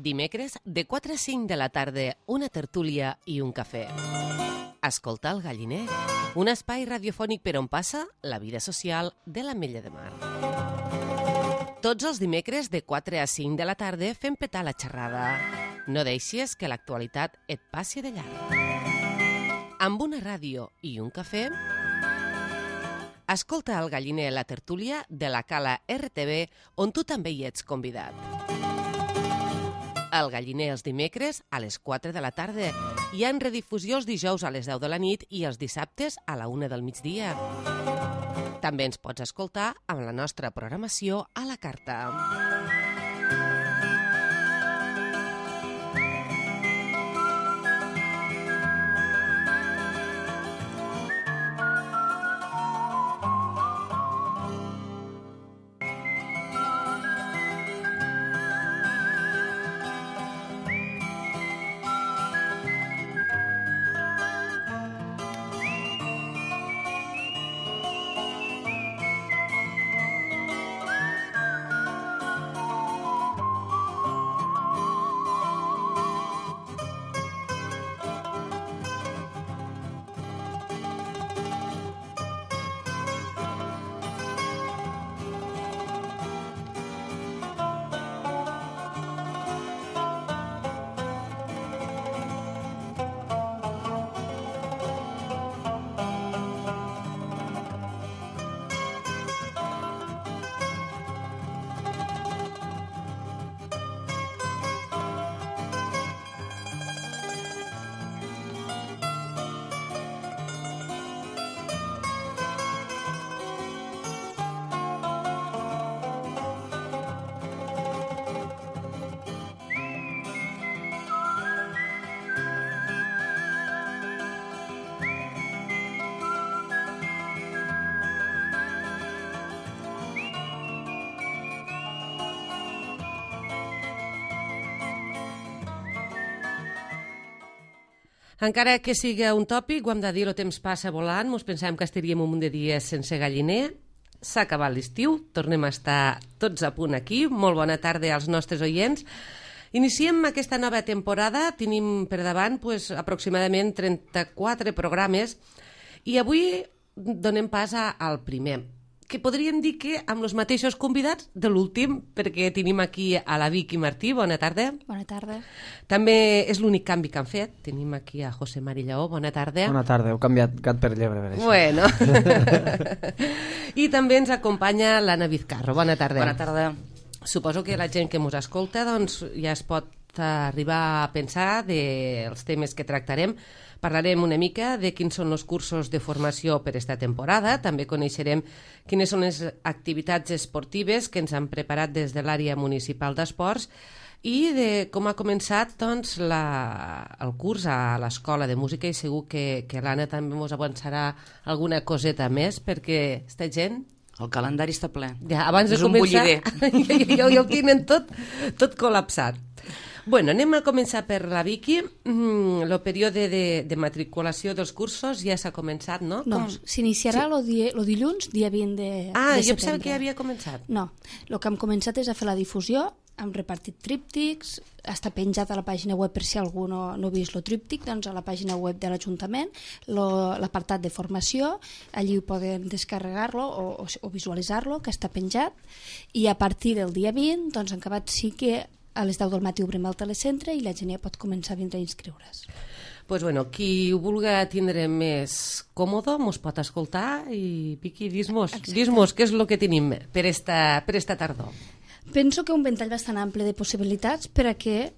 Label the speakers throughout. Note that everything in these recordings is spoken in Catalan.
Speaker 1: Dimecres, de 4 a 5 de la tarda, una tertúlia i un cafè. Escolta el Galliner, un espai radiofònic per on passa la vida social de l'Ametlla de Mar. Tots els dimecres, de 4 a 5 de la tarda, fem petar la xerrada. No deixis que l'actualitat et passi de llarg. Amb una ràdio i un cafè, escolta el Galliner, la tertúlia de la Cala RTV, on tu també hi ets convidat. El Galliner els dimecres a les 4 de la tarda. Hi ha en redifusió els dijous a les 10 de la nit i els dissabtes a la 1 del migdia. També ens pots escoltar amb la nostra programació a la carta. Encara que sigui un tòpic, ho hem de dir, el temps passa volant, ens pensàvem que estaríem un munt de dies sense Galliner. S'ha acabat l'estiu, tornem a estar tots a punt aquí. Molt bona tarda als nostres oients. Iniciem aquesta nova temporada, tenim per davant aproximadament 34 programes i avui donem pas al primer, que podríem dir que amb els mateixos convidats de l'últim, perquè tenim aquí a la Vicky Martí. Bona tarda.
Speaker 2: Bona tarda.
Speaker 1: També és l'únic canvi que han fet. Tenim aquí a José Mari Lleó. Bona tarda.
Speaker 3: Bona tarda. Heu canviat gat per llebre, per això.
Speaker 1: Bueno. I també ens acompanya l'Anna Vizcarro. Bona tarda.
Speaker 4: Bona tarda.
Speaker 1: Suposo que la gent que ens escolta ja es pot arribar a pensar dels temes que tractarem. Parlarem una mica de quins són els cursos de formació per esta temporada. També coneixerem quines són les activitats esportives que ens han preparat des de l'àrea municipal d'esports i de com ha començat el curs a l'Escola de Música, i segur que l'Anna també ens avançarà alguna coseta més, perquè esta gent...
Speaker 4: El calendari està ple.
Speaker 1: Ja, abans de
Speaker 4: és
Speaker 1: començar,
Speaker 4: un bullidor.
Speaker 1: ja el tenen tot col·lapsat. Bueno, anem a començar per la Vicky. El període de matriculació dels cursos ja s'ha començat, no?
Speaker 2: No, s'iniciarà el dilluns, dia 20 de setembre.
Speaker 1: Jo pensava que ja havia començat.
Speaker 2: No, el que hem començat és a fer la difusió, hem repartit tríptics, està penjat a la pàgina web per si algú no ha vist el tríptic, doncs a la pàgina web de l'Ajuntament, l'apartat de formació, allí ho poden descarregar-lo o visualitzar-lo, que està penjat, i a partir del dia 20, doncs en acabat sí que a les 10 del matí obrim el telecentre i la gent ja pot començar a vindre a inscriure's.
Speaker 1: Pues bueno, qui ho vulgui tindre més còmode mos pot escoltar i Vicky, dis-mos què és el que tenim per esta tardor.
Speaker 2: Penso que un ventall bastant ample de possibilitats per a que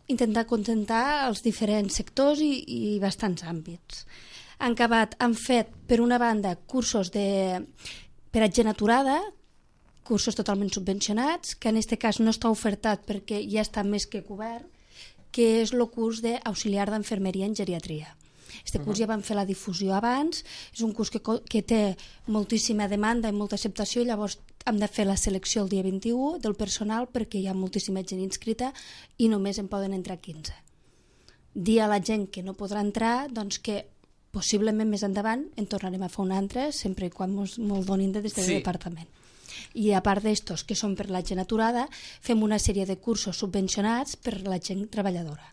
Speaker 2: intentar contentar els diferents sectors i bastants àmbits. Han fet, per una banda, cursos per a gent aturada, cursos totalment subvencionats, que en aquest cas no està ofertat perquè ja està més que cobert, que és el curs d'auxiliar d'enfermeria en geriatria. Este curs ja vam fer la difusió abans, és un curs que té moltíssima demanda i molta acceptació, i llavors hem de fer la selecció el dia 21 del personal perquè hi ha moltíssima gent inscrita i només en poden entrar 15. Dir a la gent que no podrà entrar, doncs que possiblement més endavant en tornarem a fer un altre, sempre i quan ens donin des del departament. I a part d'estos, que són per la gent aturada, fem una sèrie de cursos subvencionats per la gent treballadora.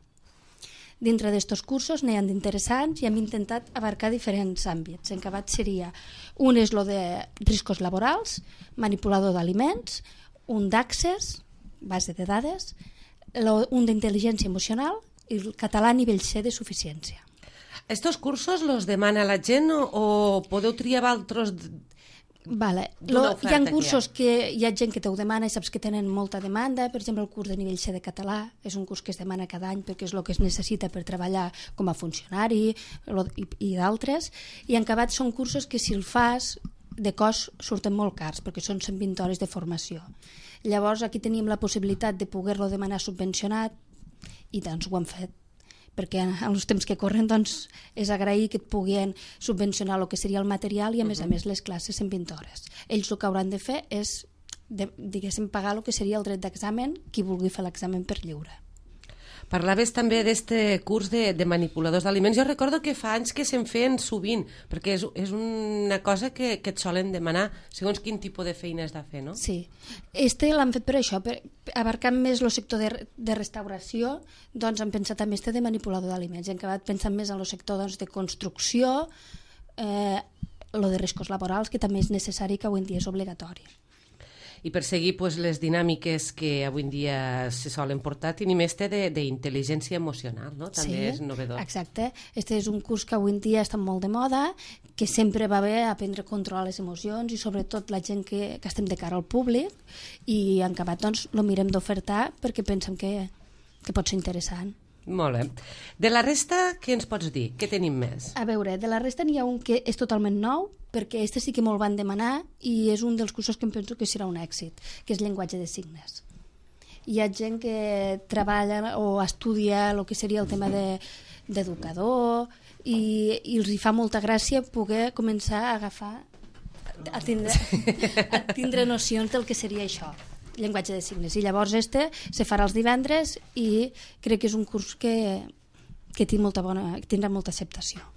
Speaker 2: Dintre d'estos cursos n'hi ha d'interessants i hem intentat abarcar diferents àmbits. En acabat seria, un és lo de riscos laborals, manipulador d'aliments, un d'accés, base de dades, un d'intel·ligència emocional i el català a nivell C de suficiència.
Speaker 1: Estos cursos los demana la gent o podeu triar altres...
Speaker 2: Vale. Hi ha cursos que hi ha gent que t'ho demana i saps que tenen molta demanda. Per exemple, el curs de nivell C de català és un curs que es demana cada any perquè és el que es necessita per treballar com a funcionari i d'altres. I en acabat són cursos que si el fas de cost surten molt cars perquè són 120 hores de formació. Llavors aquí teníem la possibilitat de poder-lo demanar subvencionat i doncs ho hem fet, perquè en els temps que corren doncs, és agrair que et puguin subvencionar el que seria el material i a més les classes en 20 hores. Ells el que hauran de fer és, diguéssim, pagar el que seria el dret d'examen, qui vulgui fer l'examen per lliure.
Speaker 1: Parlaves també d'este curs de manipuladors d'aliments. Jo recordo que fa anys que se'n feien sovint, perquè és una cosa que et solen demanar segons quin tipus de feina has de fer, no?
Speaker 2: Sí. L'han fet per això, abarcant més el sector de restauració, doncs han pensat també de manipulador d'aliments. Hem acabat pensant més en el sector de construcció, lo de riscos laborals, que també és necessari, que avui en dia és obligatori.
Speaker 1: I per seguir les dinàmiques que avui en dia se solen portar, tenim d'intel·ligència emocional, no? També és novedor.
Speaker 2: Sí, exacte. Este és un curs que avui en dia està molt de moda, que sempre va bé aprendre a controlar les emocions i sobretot la gent que estem de cara al públic, i en acabat doncs lo mirem d'ofertar perquè pensem que pot ser interessant.
Speaker 1: Molt bé. De la resta, què ens pots dir? Què tenim més?
Speaker 2: A veure, de la resta n'hi ha un que és totalment nou, perquè este sí que molt van demanar i és un dels cursos que em penso que serà un èxit, que és llenguatge de signes. Hi ha gent que treballa o estudia el que seria el tema d'educador i els hi fa molta gràcia poder començar a agafar, a tindre nocions del que seria això, llenguatge de signes. I llavors se farà els divendres i crec que és un curs que tindrà molta acceptació.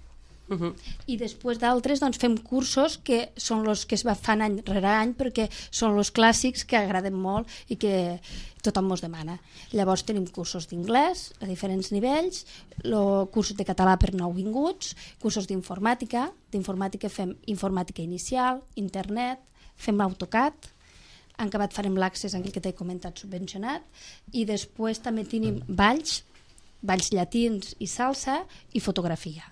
Speaker 2: I després d'altres doncs, fem cursos que són els que es fan any rere any perquè són els clàssics que agraden molt i que tothom ens demana. Llavors tenim cursos d'inglès a diferents nivells, cursos de català per nouvinguts, cursos d'informàtica fem informàtica inicial, internet, fem AutoCAD, en acabat farem l'accés en el que t'he comentat subvencionat, i després també tenim balls llatins i salsa i fotografia.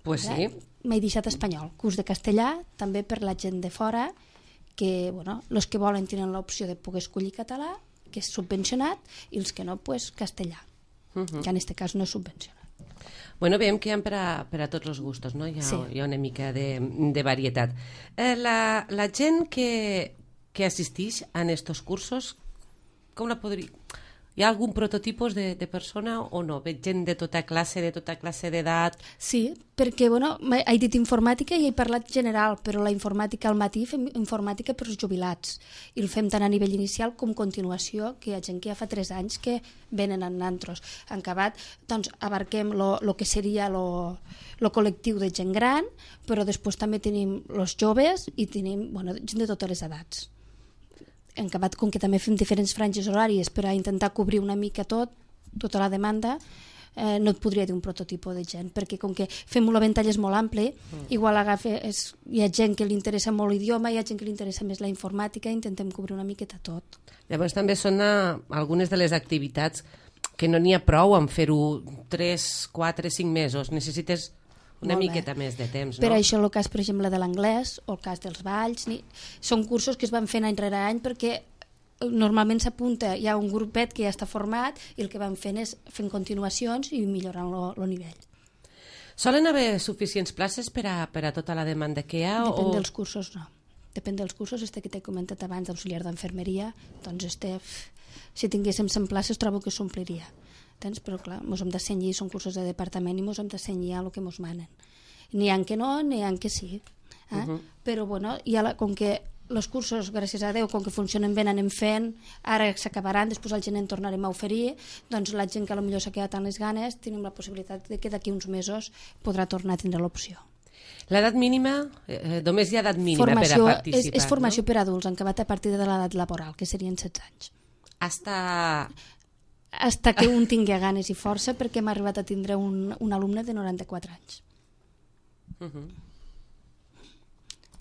Speaker 1: Pues sí.
Speaker 2: M'he deixat espanyol, curs de castellà, també per la gent de fora, que, els que volen tenen l'opció de poder escollir català, que és subvencionat, i els que no, pues castellà, que en aquest cas no és subvencionat.
Speaker 1: Bueno, veiem que hi ha per a tots els gustos, no? Hi ha una mica de varietat. La gent que assistix a estos cursos, com la podria... Hi ha algun prototipus de persona o no? Veig gent de tota classe d'edat?
Speaker 2: Sí, perquè, he dit informàtica i he parlat general, però la informàtica al matí fem informàtica per als jubilats. I el fem tant a nivell inicial com continuació, que hi ha gent que ja fa 3 anys que venen en nantros. En acabat, doncs, abarquem el que seria el col·lectiu de gent gran, però després també tenim els joves i tenim gent de totes les edats. En acabat, com que també fem diferents franges horàries per a intentar cobrir una mica tota la demanda, no et podria dir un prototipus de gent, perquè com que fem un ventall és molt ampli, igual hi ha gent que li interessa molt l'idioma, hi ha gent que li interessa més la informàtica, intentem cobrir una miqueta tot.
Speaker 1: Llavors també són algunes de les activitats que no n'hi ha prou en fer-ho 3, 4, 5 mesos, necessites una miqueta més de temps, no?
Speaker 2: Per això el cas, per exemple, de l'anglès o el cas dels balls, són cursos que es van fent any rere any perquè normalment s'apunta, hi ha un grupet que ja està format i el que van fent és fent continuacions i millorant el nivell.
Speaker 1: Solen haver suficients places per a tota la demanda que hi ha?
Speaker 2: Depèn dels cursos, no. Depèn dels cursos, que t'he comentat abans d'auxiliar d'enfermeria, doncs si tinguéssim 100 places trobo que s'ompliria. Però clar, ens hem de cenyir, són cursos de departament i ens hem de cenyir a el que ens manen. N'hi ha que no, n'hi ha que sí. Però com que els cursos, gràcies a Déu, com que funcionen bé, anem fent, ara s'acabaran, després al gener en tornarem a oferir, doncs la gent que potser s'ha quedat amb les ganes, tenim la possibilitat de que d'aquí uns mesos podrà tornar a tindre l'opció.
Speaker 1: L'edat mínima, només hi ha edat mínima per a participar.
Speaker 2: És formació per adults, en acabat a partir de l'edat laboral, que serien 16 anys. Hasta que un tingui ganes i força, perquè hem arribat a tindre un alumne de 94 anys.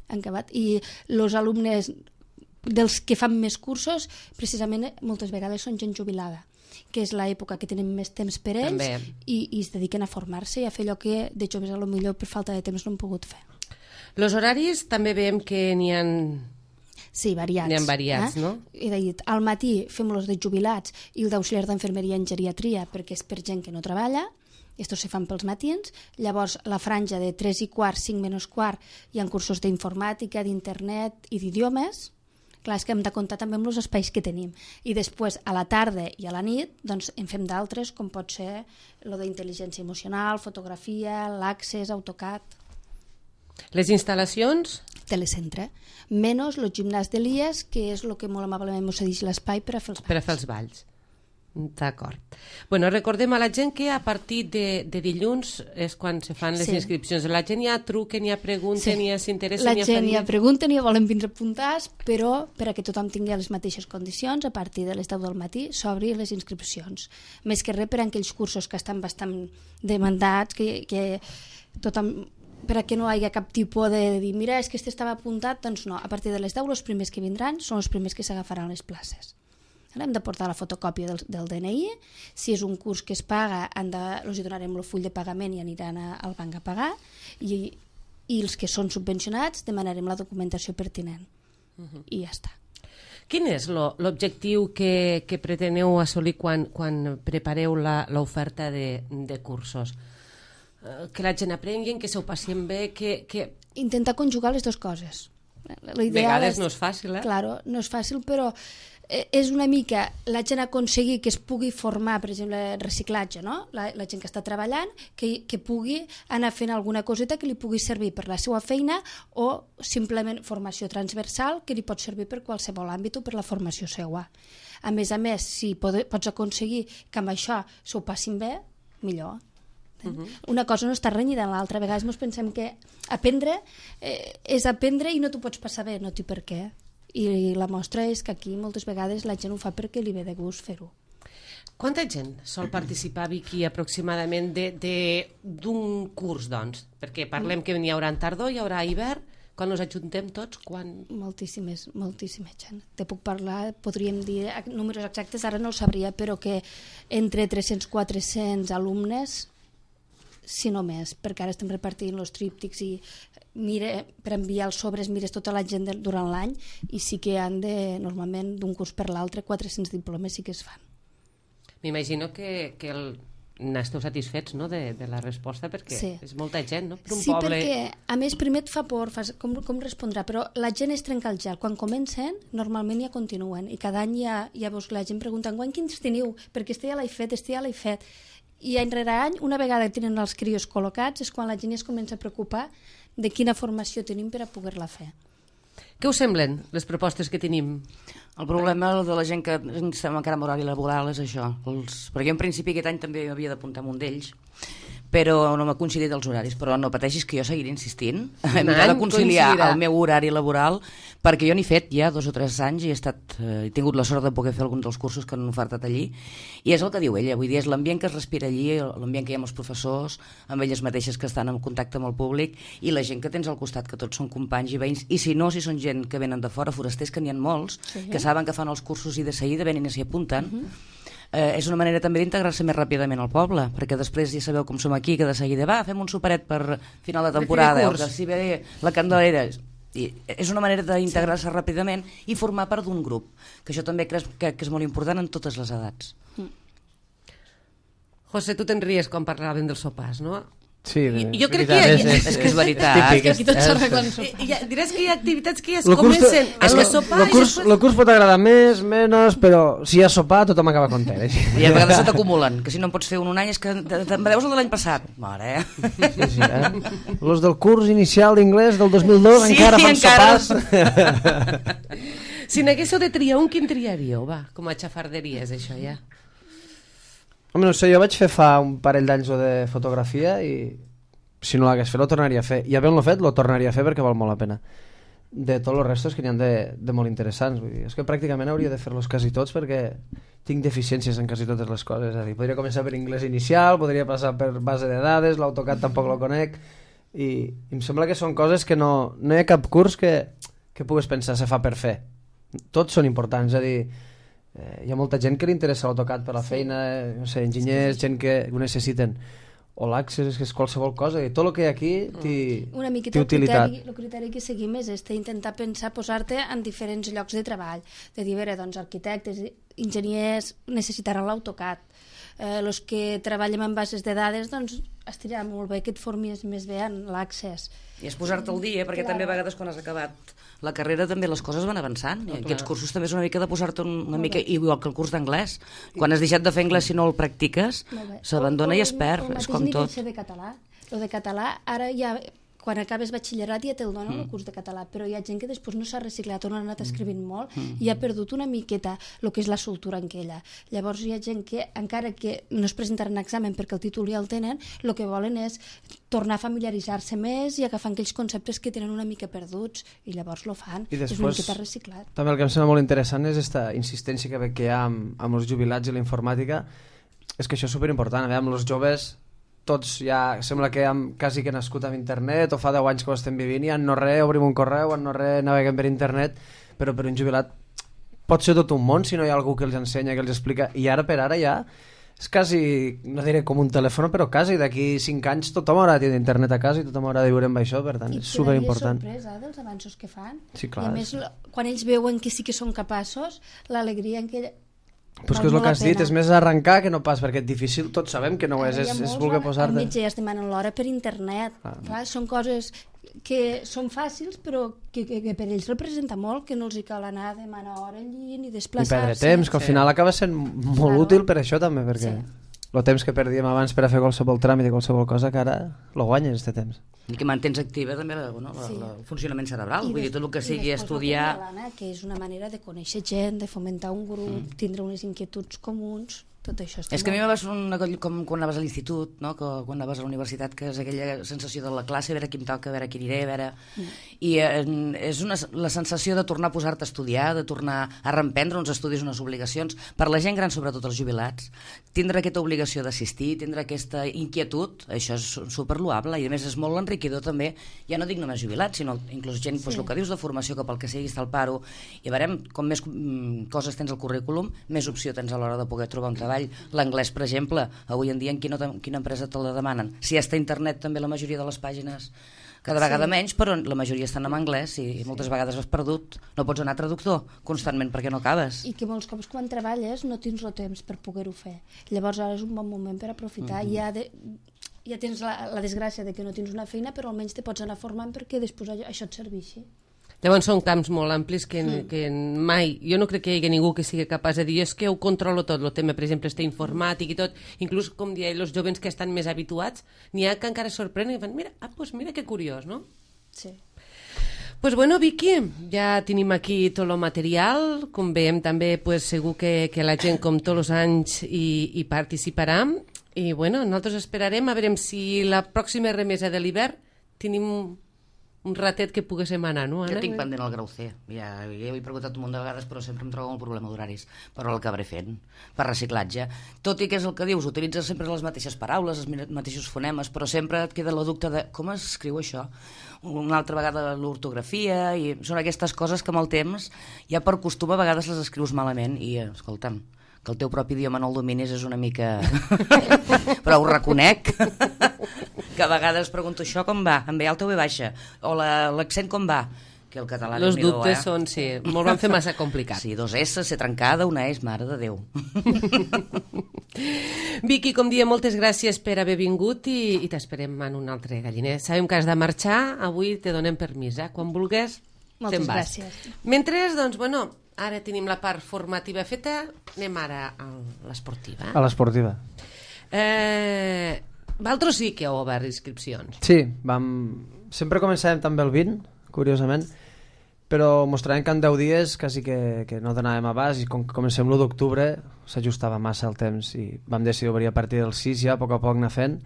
Speaker 2: En acabat. I els alumnes dels que fan més cursos, precisament moltes vegades són gent jubilada, que és l'època que tenen més temps per ells i es dediquen a formar-se i a fer allò que de joves a lo millor per falta de temps no han pogut fer.
Speaker 1: Els horaris també veiem que n'hi ha...
Speaker 2: Sí, variats.
Speaker 1: N'hi ha variats, no?
Speaker 2: He dit, al matí fem-los de jubilats i el d'auxiliar d'enfermeria en geriatria perquè és per gent que no treballa, estos se fan pels matins, llavors la franja de 3 i quart, 5 menys quart, hi ha cursos d'informàtica, d'internet i d'idiomes. Clar, és que hem de comptar també amb els espais que tenim. I després, a la tarda i a la nit, doncs en fem d'altres, com pot ser lo d'intel·ligència emocional, fotografia, l'Access, AutoCAD.
Speaker 1: Les instal·lacions?
Speaker 2: Telecentre. Menys el gimnàs de l'IES, que és el que molt amablement ens cedeix l'espai per a fer els balls.
Speaker 1: Per a fer els balls. D'acord. Bueno, recordem a la gent que a partir de dilluns és quan se fan les inscripcions. La gent ja truquen, ja pregunten, ja s'interessen.
Speaker 2: La gent ja pregunten i ja volen vindre apuntats, però per a que tothom tingui les mateixes condicions, a partir de les 10 del matí s'obri les inscripcions. Més que res per a aquells cursos que estan bastant demandats, que tothom... per a que no hi hagi cap tipus de dir mira, és que este estava apuntat, doncs no, a partir de les 10 els primers que vindran són els primers que s'agafaran les places. Hem de portar la fotocòpia del DNI, si és un curs que es paga els donarem el full de pagament i aniran al banc a pagar, i els que són subvencionats demanarem la documentació pertinent i ja està.
Speaker 1: Quin és l'objectiu que preteneu assolir quan prepareu l'oferta de cursos? Que la gent aprengui, que s'ho passin bé, que...
Speaker 2: Intentar conjugar les dues coses.
Speaker 1: A vegades no és fàcil,
Speaker 2: Claro, no és fàcil, però és una mica la gent aconseguir que es pugui formar, per exemple, reciclatge, no? La gent que està treballant, que pugui anar fent alguna coseta que li pugui servir per la seva feina o simplement formació transversal que li pot servir per qualsevol àmbit o per la formació seva. A més, si pots aconseguir que amb això s'ho passin bé, millor. Una cosa no està renyida amb l'altra. A vegades ens pensem que aprendre és aprendre i no t'ho pots passar bé, no té per què. I la mostra és que aquí moltes vegades la gent ho fa perquè li ve de gust fer-ho.
Speaker 1: Quanta gent sol participar, Vicky, aproximadament d'un curs, doncs? Perquè parlem que n'hi haurà en tardor, hi haurà hivern, quan ens ajuntem tots, quan...
Speaker 2: Moltíssima gent. Te puc parlar, podríem dir números exactes, ara no el sabria, però que entre 300-400 alumnes, si no més, perquè ara estem repartint els tríptics i per enviar els sobres mires tota la gent durant l'any i sí que han normalment d'un curs per l'altre 400 diplomes sí que es fan.
Speaker 1: M'imagino que n'esteu satisfets, no?, de la resposta, perquè és molta gent, no?, per un poble...
Speaker 2: Sí, perquè a més primer et fa por, com respondrà, però la gent es trenca el gel. Quan comencen, normalment ja continuen i cada any ja veus que la gent pregunta quins teniu? Perquè este ja l'he fet, i any rere any, una vegada tenen els crios col·locats, és quan la gent es comença a preocupar de quina formació tenim per a poder-la fer.
Speaker 1: Què us semblen les propostes que tenim?
Speaker 4: El problema de la gent que estem encara en horari laboral és això. Perquè jo en principi aquest any també havia d'apuntar amb un d'ells, però no m'ha coincidit els horaris. Però no pateixis que jo seguiré insistint. Hem de conciliar el meu horari laboral, perquè jo n'he fet ja 2 o 3 anys i he tingut la sort de poder fer alguns dels cursos que han ofertat allí. I és el que diu ella, vull dir, és l'ambient que es respira allí, l'ambient que hi ha amb els professors, amb elles mateixes que estan en contacte amb el públic, i la gent que tens al costat, que tots són companys i veïns, i si no, si són gent que venen de fora, forasters, que n'hi ha molts, que saben que fan els cursos i de seguida venen i s'hi apunten. És una manera també d'integrar-se més ràpidament al poble, perquè després ja sabeu com som aquí, que de seguida fem un superet per final de temporada, o que si ve la Candelera. I és una manera d'integrar-se ràpidament i formar part d'un grup, que això també crec que és molt important en totes les edats.
Speaker 1: José, tu te'n ries quan parlàvem dels sopars, no?
Speaker 3: Sí,
Speaker 1: jo crec que
Speaker 4: és que és veritat.
Speaker 2: És que aquí tots s'arreglen sopars.
Speaker 1: Diràs que hi ha activitats que ja es comencen amb el sopar i després...
Speaker 3: El curs pot agradar més, menys, però si hi ha sopar tothom acaba content.
Speaker 4: I a vegades se t'acumulen, que si no en pots fer un any és que te'n deus el de l'any passat. Mare,
Speaker 3: Sí, Los del curs inicial d'inglès del 2002 encara fan sopars.
Speaker 1: Si n'haguéssiu de triar un, quin triaríeu? Va, com a xafarderies, això ja.
Speaker 3: Home, no sé, jo vaig fer fa un parell d'anys de fotografia i si no l'hagués fet lo tornaria a fer, i havent-lo fet lo tornaria a fer perquè val molt la pena. De tots els restos que n'hi ha de molt interessants, vull dir, és que pràcticament hauria de fer-los quasi tots perquè tinc deficiències en quasi totes les coses, és a dir, podria començar per anglès inicial, podria passar per base de dades, l'AutoCAD tampoc lo conec, i em sembla que són coses que no hi ha cap curs que pugues pensar se fa per fer, tots són importants, és a dir, hi ha molta gent que li interessa l'AutoCAD per la feina, no sé, enginyers, gent que ho necessiten, o l'Access, que és qualsevol cosa, i tot el que hi ha aquí té utilitat.
Speaker 2: El criteri que seguim és intentar pensar, posar-te en diferents llocs de treball, de dir, doncs, arquitectes, enginyers necessitaran l'AutoCAD, els que treballem en bases de dades, doncs estirà molt bé que et formis més bé en l'Access.
Speaker 4: I és posar-te al dia, perquè també a vegades quan has acabat la carrera també les coses van avançant, i aquests cursos també és una mica de posar-te una mica, igual que el curs d'anglès, quan has deixat de fer anglès si no el practiques s'abandona i es perd, és com tot.
Speaker 2: El de català ara ja, quan acabes batxillerat ja te'l donen el curs de català, però hi ha gent que després no s'ha reciclat o no ha anat escrivint molt i ha perdut una miqueta el que és la soltura en aquella. Llavors hi ha gent que, encara que no es presentaran examen perquè el títol ja el tenen, el que volen és tornar a familiaritzar-se més i agafar aquells conceptes que tenen una mica perduts i llavors lo fan.
Speaker 3: I després,
Speaker 2: és una miqueta reciclat.
Speaker 3: També el que em sembla molt interessant és aquesta insistència que hi ha amb els jubilats i la informàtica, és que això és superimportant. A veure, amb els joves tots ja sembla que hem quasi que nascut amb internet o fa 10 anys que ho estem vivint i en no res obrim un correu, en no res naveguem per internet, però per un jubilat pot ser tot un món si no hi ha algú que els ensenya, que els explica, i ara per ara ja és quasi, no diré com un telèfon, però quasi d'aquí 5 anys tothom haurà de tenir internet a casa i tothom haurà de viure amb això, per tant és superimportant.
Speaker 2: I sorpresa dels avanços que fan.
Speaker 3: Sí, clar.
Speaker 2: I a més, quan ells veuen que sí que són capaços, l'alegria en què
Speaker 3: Però és que és el que has dit, és més arrencar que no pas, perquè és difícil, tots sabem que no ho és voler posar-te...
Speaker 2: Al metge ja es demanen l'hora per internet. Clar, són coses que són fàcils, però que per ells representa molt, que no els hi cal anar a demanar hora allí ni desplaçar-se.
Speaker 3: I perdre temps, que al final acaba sent molt útil per això també, perquè el temps que perdíem abans per a fer qualsevol tràmit i qualsevol cosa, que ara lo guanyes, este temps.
Speaker 4: I que mantens activa també el funcionament cerebral, vull dir, tot el que sigui estudiar...
Speaker 2: Que és una manera de conèixer gent, de fomentar un grup, tindre unes inquietuds comuns, tot això.
Speaker 4: És que a mi me va fer com quan anaves a l'institut, no? Quan anaves a la universitat, que és aquella sensació de la classe, a veure qui em toca, a veure qui aniré, a veure... I és la sensació de tornar a posar-te a estudiar, de tornar a reemprendre uns estudis, unes obligacions, per la gent gran, sobretot els jubilats, tindre aquesta obligació d'assistir, tindre aquesta inquietud, això és superloable, i a més és molt enriquidor també, ja no dic només jubilats, sinó inclús gent, el que dius de formació, que pel que sigui està al paro, i veurem com més coses tens al currículum, més opció tens a l'hora de poder trobar un treball. L'anglès, per exemple, avui en dia en quina empresa te la demanen? Si està a internet també la majoria de les pàgines cada vegada menys, però la majoria estan en anglès i moltes vegades has perdut, no pots anar a traductor constantment perquè no acabes.
Speaker 2: I que molts cops quan treballes no tens el temps per poder-ho fer. Llavors ara és un bon moment per aprofitar. Ja tens la desgràcia de que no tens una feina, però almenys te pots anar formant perquè després això et serveixi.
Speaker 1: Llavors són camps molt amplis que mai, jo no crec que hi hagi ningú que sigui capaç de dir és que ho controlo tot, el tema, per exemple, este informàtic i tot, inclús, com deia, els jovens que estan més habituats, n'hi ha que encara es sorprenen i fan, mira que curiós, no?
Speaker 2: Sí.
Speaker 1: Pues bueno, Vicky, ja tenim aquí tot el material, com veiem també pues, segur que la gent com tots els anys hi participarà, i bueno, nosaltres esperarem a veure si la pròxima remesa de l'hivern tenim un ratet que poguéssim anar, no, Anna?
Speaker 4: Jo tinc pendent el grau C. Ja ho he preguntat un munt de vegades, però sempre em trobo un problema d'horaris. Però el acabaré fent, per reciclatge. Tot i que és el que dius, utilitzes sempre les mateixes paraules, els mateixos fonemes, però sempre et queda la dubte de com es escriu això. Una altra vegada l'ortografia, i són aquestes coses que amb el temps, ja per costum a vegades les escrius malament, i escolta'm, que el teu propi idioma no el dominis és una mica... però ho reconec, que a vegades pregunto això com va, en B alta o B baixa, o l'accent com va, que el català...
Speaker 1: Els dubtes són, sí, molt van fer massa complicat.
Speaker 4: Sí, 2 S, C trencada, una S, mare de Déu.
Speaker 1: Vicky, com dia, moltes gràcies per haver vingut i t'esperem en un altre galliner. Sabem que has de marxar, avui te donem permís, quan vulguis te'n vas.
Speaker 2: Moltes gràcies.
Speaker 1: Mentre, doncs, bueno, ara tenim la part formativa feta, anem ara a l'esportiva.
Speaker 3: A l'esportiva.
Speaker 1: Vosaltres sí que heu obert inscripcions.
Speaker 3: Sí, sempre començàvem també el 20, curiosament, però mostràvem que en 10 dies quasi que no donàvem abast, i com que comencem l'1 d'octubre s'ajustava massa el temps i vam decidir obrir a partir del 6 ja, a poc anar fent,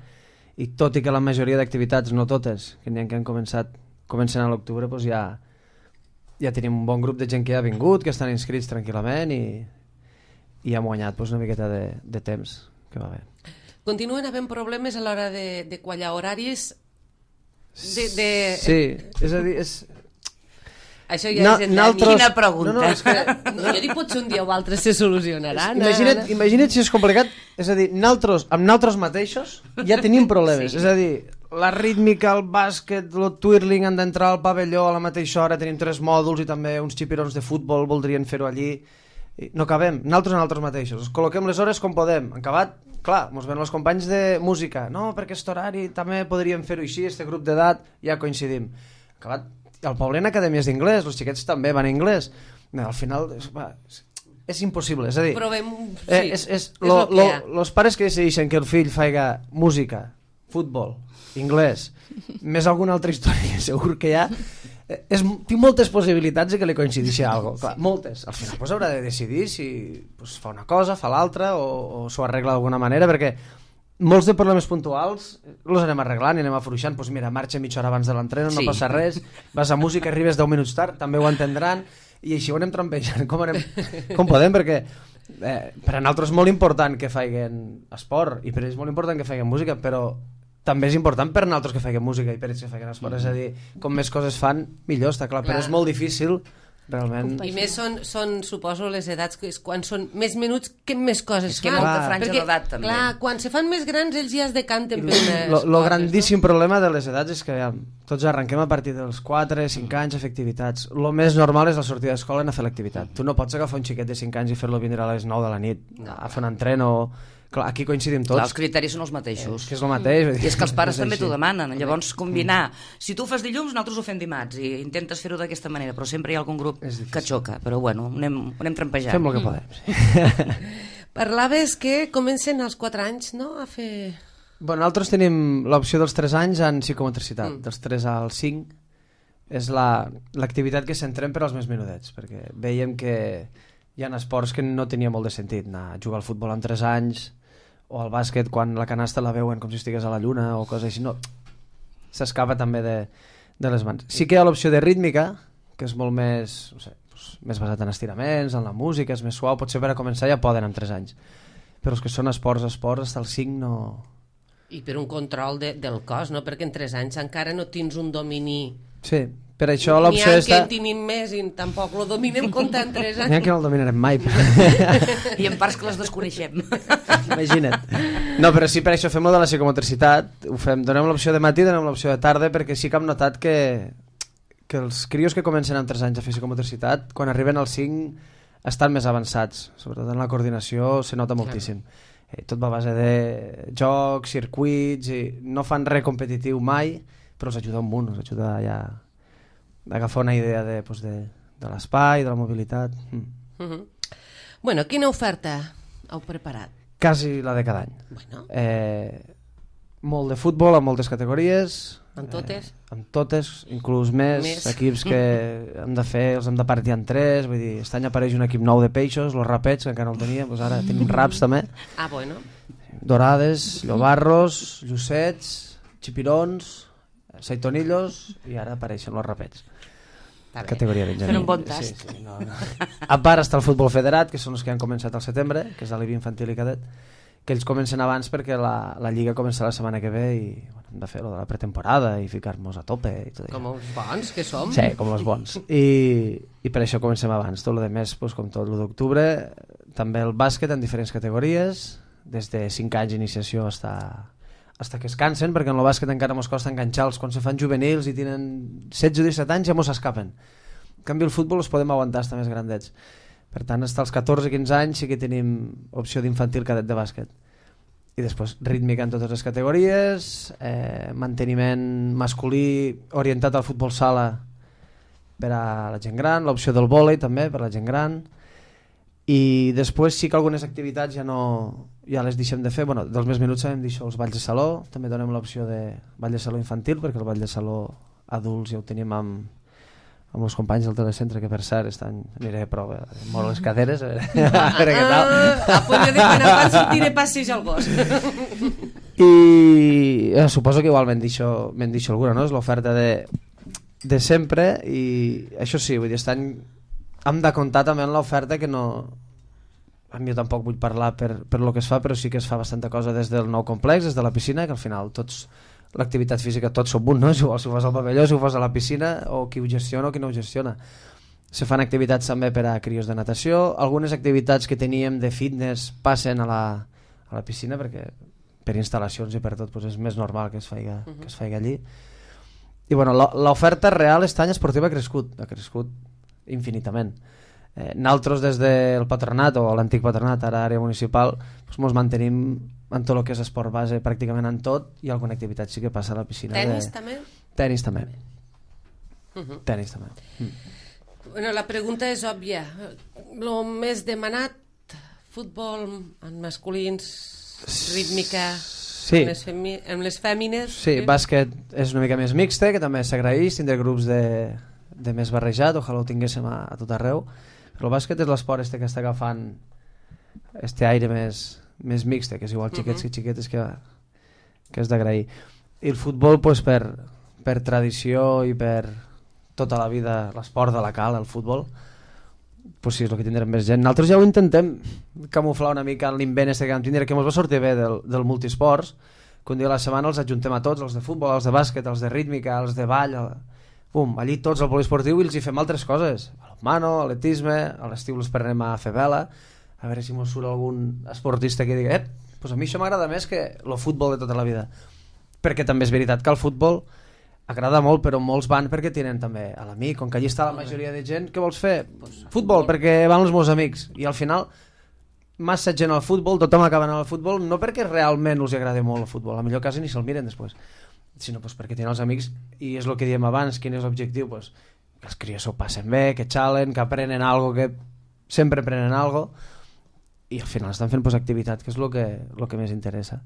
Speaker 3: i tot i que la majoria d'activitats, no totes, que n'hi ha que comencen a l'octubre, doncs ja tenim un bon grup de gent que ja ha vingut, que estan inscrits tranquil·lament i hem guanyat una miqueta de temps, que va bé.
Speaker 1: Continuen havent problemes a l'hora de quallar horaris?
Speaker 3: Sí, és a dir,
Speaker 1: Això ja és
Speaker 4: Quina pregunta.
Speaker 1: Jo dic, potser un dia o altre se solucionarà.
Speaker 3: Imagina't si és complicat. És a dir, amb nosaltres mateixos ja tenim problemes. És a dir, la rítmica, el bàsquet, el twirling han d'entrar al pavelló a la mateixa hora, tenim 3 mòduls i també uns xipirons de futbol voldrien fer-ho allí. No cabem, nosaltres mateixos. Col·loquem les hores com podem. En acabat, clar, ens venen els companys de música. No, perquè aquest horari també podríem fer-ho així, aquest grup d'edat, ja coincidim. En acabat, al poble hi ha acadèmies d'inglès, els xiquets també van a anglès. Al final és impossible, és a dir,
Speaker 1: provem,
Speaker 3: els pares que decideixen que el fill faiga música, futbol, anglès, més alguna altra història segur que hi ha, tinc moltes possibilitats de que li coincideixi alguna cosa, moltes. Al final haurà de decidir si fa una cosa, fa l'altra o s'ho arregla d'alguna manera, perquè molts de problemes puntuals els anem arreglant i anem afluixant. Doncs mira, marxa mitja hora abans de l'entreno, no passa res, vas a música, arribes 10 minuts tard, també ho entendran, i així ho anem trampejant com podem, perquè per a nosaltres és molt important que faiguen esport i per ells és molt important que faiguen música, però també és important per a nosaltres que faiguen música i per ells que faiguen esport, és a dir, com més coses fan millor, està clar, però és molt difícil realment.
Speaker 1: I més són, suposo, les edats que quan són més menuts que més coses
Speaker 4: fan. Molta franja d'edat també.
Speaker 1: Clar, quan se fan més grans ells ja es decanten per unes coses.
Speaker 3: El grandíssim problema de les edats és que tots arrenquem a partir dels 4-5 anys a fer activitats. El més normal és la sortida d'escola a fer l'activitat. Tu no pots agafar un xiquet de 5 anys i fer-lo vindre a les 9 de la nit a fer un entreno. Clar, aquí coincidim tots.
Speaker 4: Clar, els criteris són els mateixos.
Speaker 3: És que és el mateix.
Speaker 4: I és que els pares també t'ho demanen. Llavors, combinar, si tu ho fas dilluns, nosaltres ho fem dimarts, i intentes fer-ho d'aquesta manera, però sempre hi ha algun grup que xoca. Però bueno, anem trampejant.
Speaker 3: Fem el que podem.
Speaker 1: Parlaves que comencen als 4 anys, no?, a fer...
Speaker 3: Bueno, nosaltres tenim l'opció dels 3 anys en psicomotricitat. Dels 3 als 5 és l'activitat que centrem per als més menudets, perquè veiem que hi ha esports que no tenia molt de sentit, anar a jugar al futbol amb 3 anys o al bàsquet quan la canasta la veuen com si estigués a la lluna o coses així, no, s'escapa també de les mans. Sí que hi ha l'opció de rítmica, que és molt més, no sé, més basat en estiraments, en la música, és més suau, potser per a començar ja poden amb 3 anys, però els que són esports, hasta els 5 no...
Speaker 1: I per un control del cos, no? Perquè en 3 anys encara no tens un domini...
Speaker 3: Sí, per això l'opció
Speaker 1: està... N'hi ha que en tenim més i tampoc lo dominem comptant 3 anys.
Speaker 3: N'hi ha que no el dominarem mai.
Speaker 4: I en parts que les desconeixem.
Speaker 3: Imagina't. No, però sí, per això fem-ho de la psicomotricitat. Donem l'opció de matí, donem l'opció de tarda, perquè sí que hem notat que els crios que comencen amb 3 anys a fer psicomotricitat, quan arriben als 5 estan més avançats. Sobretot en la coordinació se nota moltíssim. Tot va a base de jocs, circuits, i no fan res competitiu mai, però els ajuda un munt, els ajuda ja a agafar una idea de l'espai, de la mobilitat.
Speaker 1: Bueno, quina oferta heu preparat?
Speaker 3: Quasi la de cada any.
Speaker 1: Bueno.
Speaker 3: Molt de futbol, amb moltes categories.
Speaker 1: Amb totes?
Speaker 3: Amb totes, inclús més equips que hem de fer, els hem de partir en 3, vull dir, aquest any apareix un equip nou de peixos, los rapets, que encara no el teníem, doncs ara tenim raps també.
Speaker 1: Ah, bueno.
Speaker 3: Dorades, llobarros, llucets, xipirons, saitonillos, i ara apareixen los rapets. Categoria Benjamí.
Speaker 4: Fent un bon tast.
Speaker 3: Sí, no. A part està el futbol federat, que són els que han començat al setembre, que és l'Alibi Infantil i Cadet, que ells comencen abans perquè la Lliga comença la setmana que ve i hem de fer lo de la pretemporada i ficar-nos a tope i tot això.
Speaker 1: Com els bons que som.
Speaker 3: Sí, com els bons. I per això comencem abans. Tot el més, com tot l'1 d'octubre, també el bàsquet en diferents categories, des de 5 anys d'iniciació hasta que es cansen, perquè en el bàsquet encara ens costa enganxar-los quan se fan juvenils i tenen 16 o 17 anys ja mos escapen. En canvi el futbol els podem aguantar estar més grandets. Per tant, fins als 14-15 anys sí que tenim opció d'infantil cadet de bàsquet. I després rítmica en totes les categories, manteniment masculí orientat al futbol sala per a la gent gran, l'opció del vòlei també per a la gent gran, i després sí que algunes activitats ja les deixem de fer. Bueno, dels més menuts sabem dir això, els balls de saló, també donem l'opció de ball de saló infantil, perquè el ball de saló adults ja ho tenim amb els companys del telecentre, que per cert aniré a prova, molt les caderes, a veure què tal.
Speaker 1: A punt de dir que no pot sortir de passeig al bosc.
Speaker 3: I suposo que igual m'han dit alguna, no? És l'oferta de sempre, i això sí, vull dir, aquest any hem de comptar també en l'oferta, que no... A mi jo tampoc vull parlar per lo que es fa, però sí que es fa bastanta cosa des del nou complex, des de la piscina, que al final l'activitat física tots som un, no? És igual si ho fas al pavelló, si ho fas a la piscina, o qui ho gestiona o qui no ho gestiona. Se fan activitats també per a crios de natació, algunes activitats que teníem de fitness passen a la piscina, perquè per instal·lacions i per tot doncs és més normal que es faci allí. I bueno, l'oferta real aquest any esportiva ha crescut infinitament. Nosaltres des del patronat, o l'antic patronat, ara àrea municipal, doncs ens mantenim en tot el que és esport base, pràcticament en tot, i alguna activitat sí que passa a la piscina.
Speaker 1: Tenis també?
Speaker 3: Tenis també. Tenis també.
Speaker 1: Bueno, la pregunta és òbvia. El més demanat, futbol en masculins, rítmica,
Speaker 3: sí.
Speaker 1: amb les fèmines...
Speaker 3: Sí, bàsquet és una mica més mixte, que també s'agraeix, tindre grups de més barrejat, ojalà ho tinguéssim a tot arreu, però el bàsquet és l'esport que està agafant este aire més mixte, que és igual xiquets i xiquetes, que és d'agrair. I el futbol, pues, per tradició i per tota la vida, l'esport de la cal, el futbol, pues sí, és el que tindrem més gent. Nosaltres ja ho intentem camuflar una mica en l'invent que vam tindre, que ens va sortir bé del multisports, que un dia a la setmana els ajuntem a tots, els de futbol, els de bàsquet, els de rítmica, els de ball, allí tots al poliesportiu, i els hi fem altres coses, mano, atletisme, a l'estiu els prenem a fer vela, a veure si mos surt algun esportista que digui pues a mi això m'agrada més que el futbol de tota la vida, perquè també és veritat que el futbol agrada molt, però molts van perquè tenen també a l'amic, com que allí està la majoria de gent. Què vols fer? Futbol, perquè van els meus amics, i al final massa gent al futbol, tothom acaba anant al futbol, no perquè realment els agrada molt el futbol, a millor quasi ni se'l miren després, sinó perquè tenen els amics, i és el que diem abans, quin és l'objectiu, que els crios s'ho passen bé, que xalen, que aprenen algo, que sempre aprenen algo, i al final estan fent activitat, que és el que més interessa.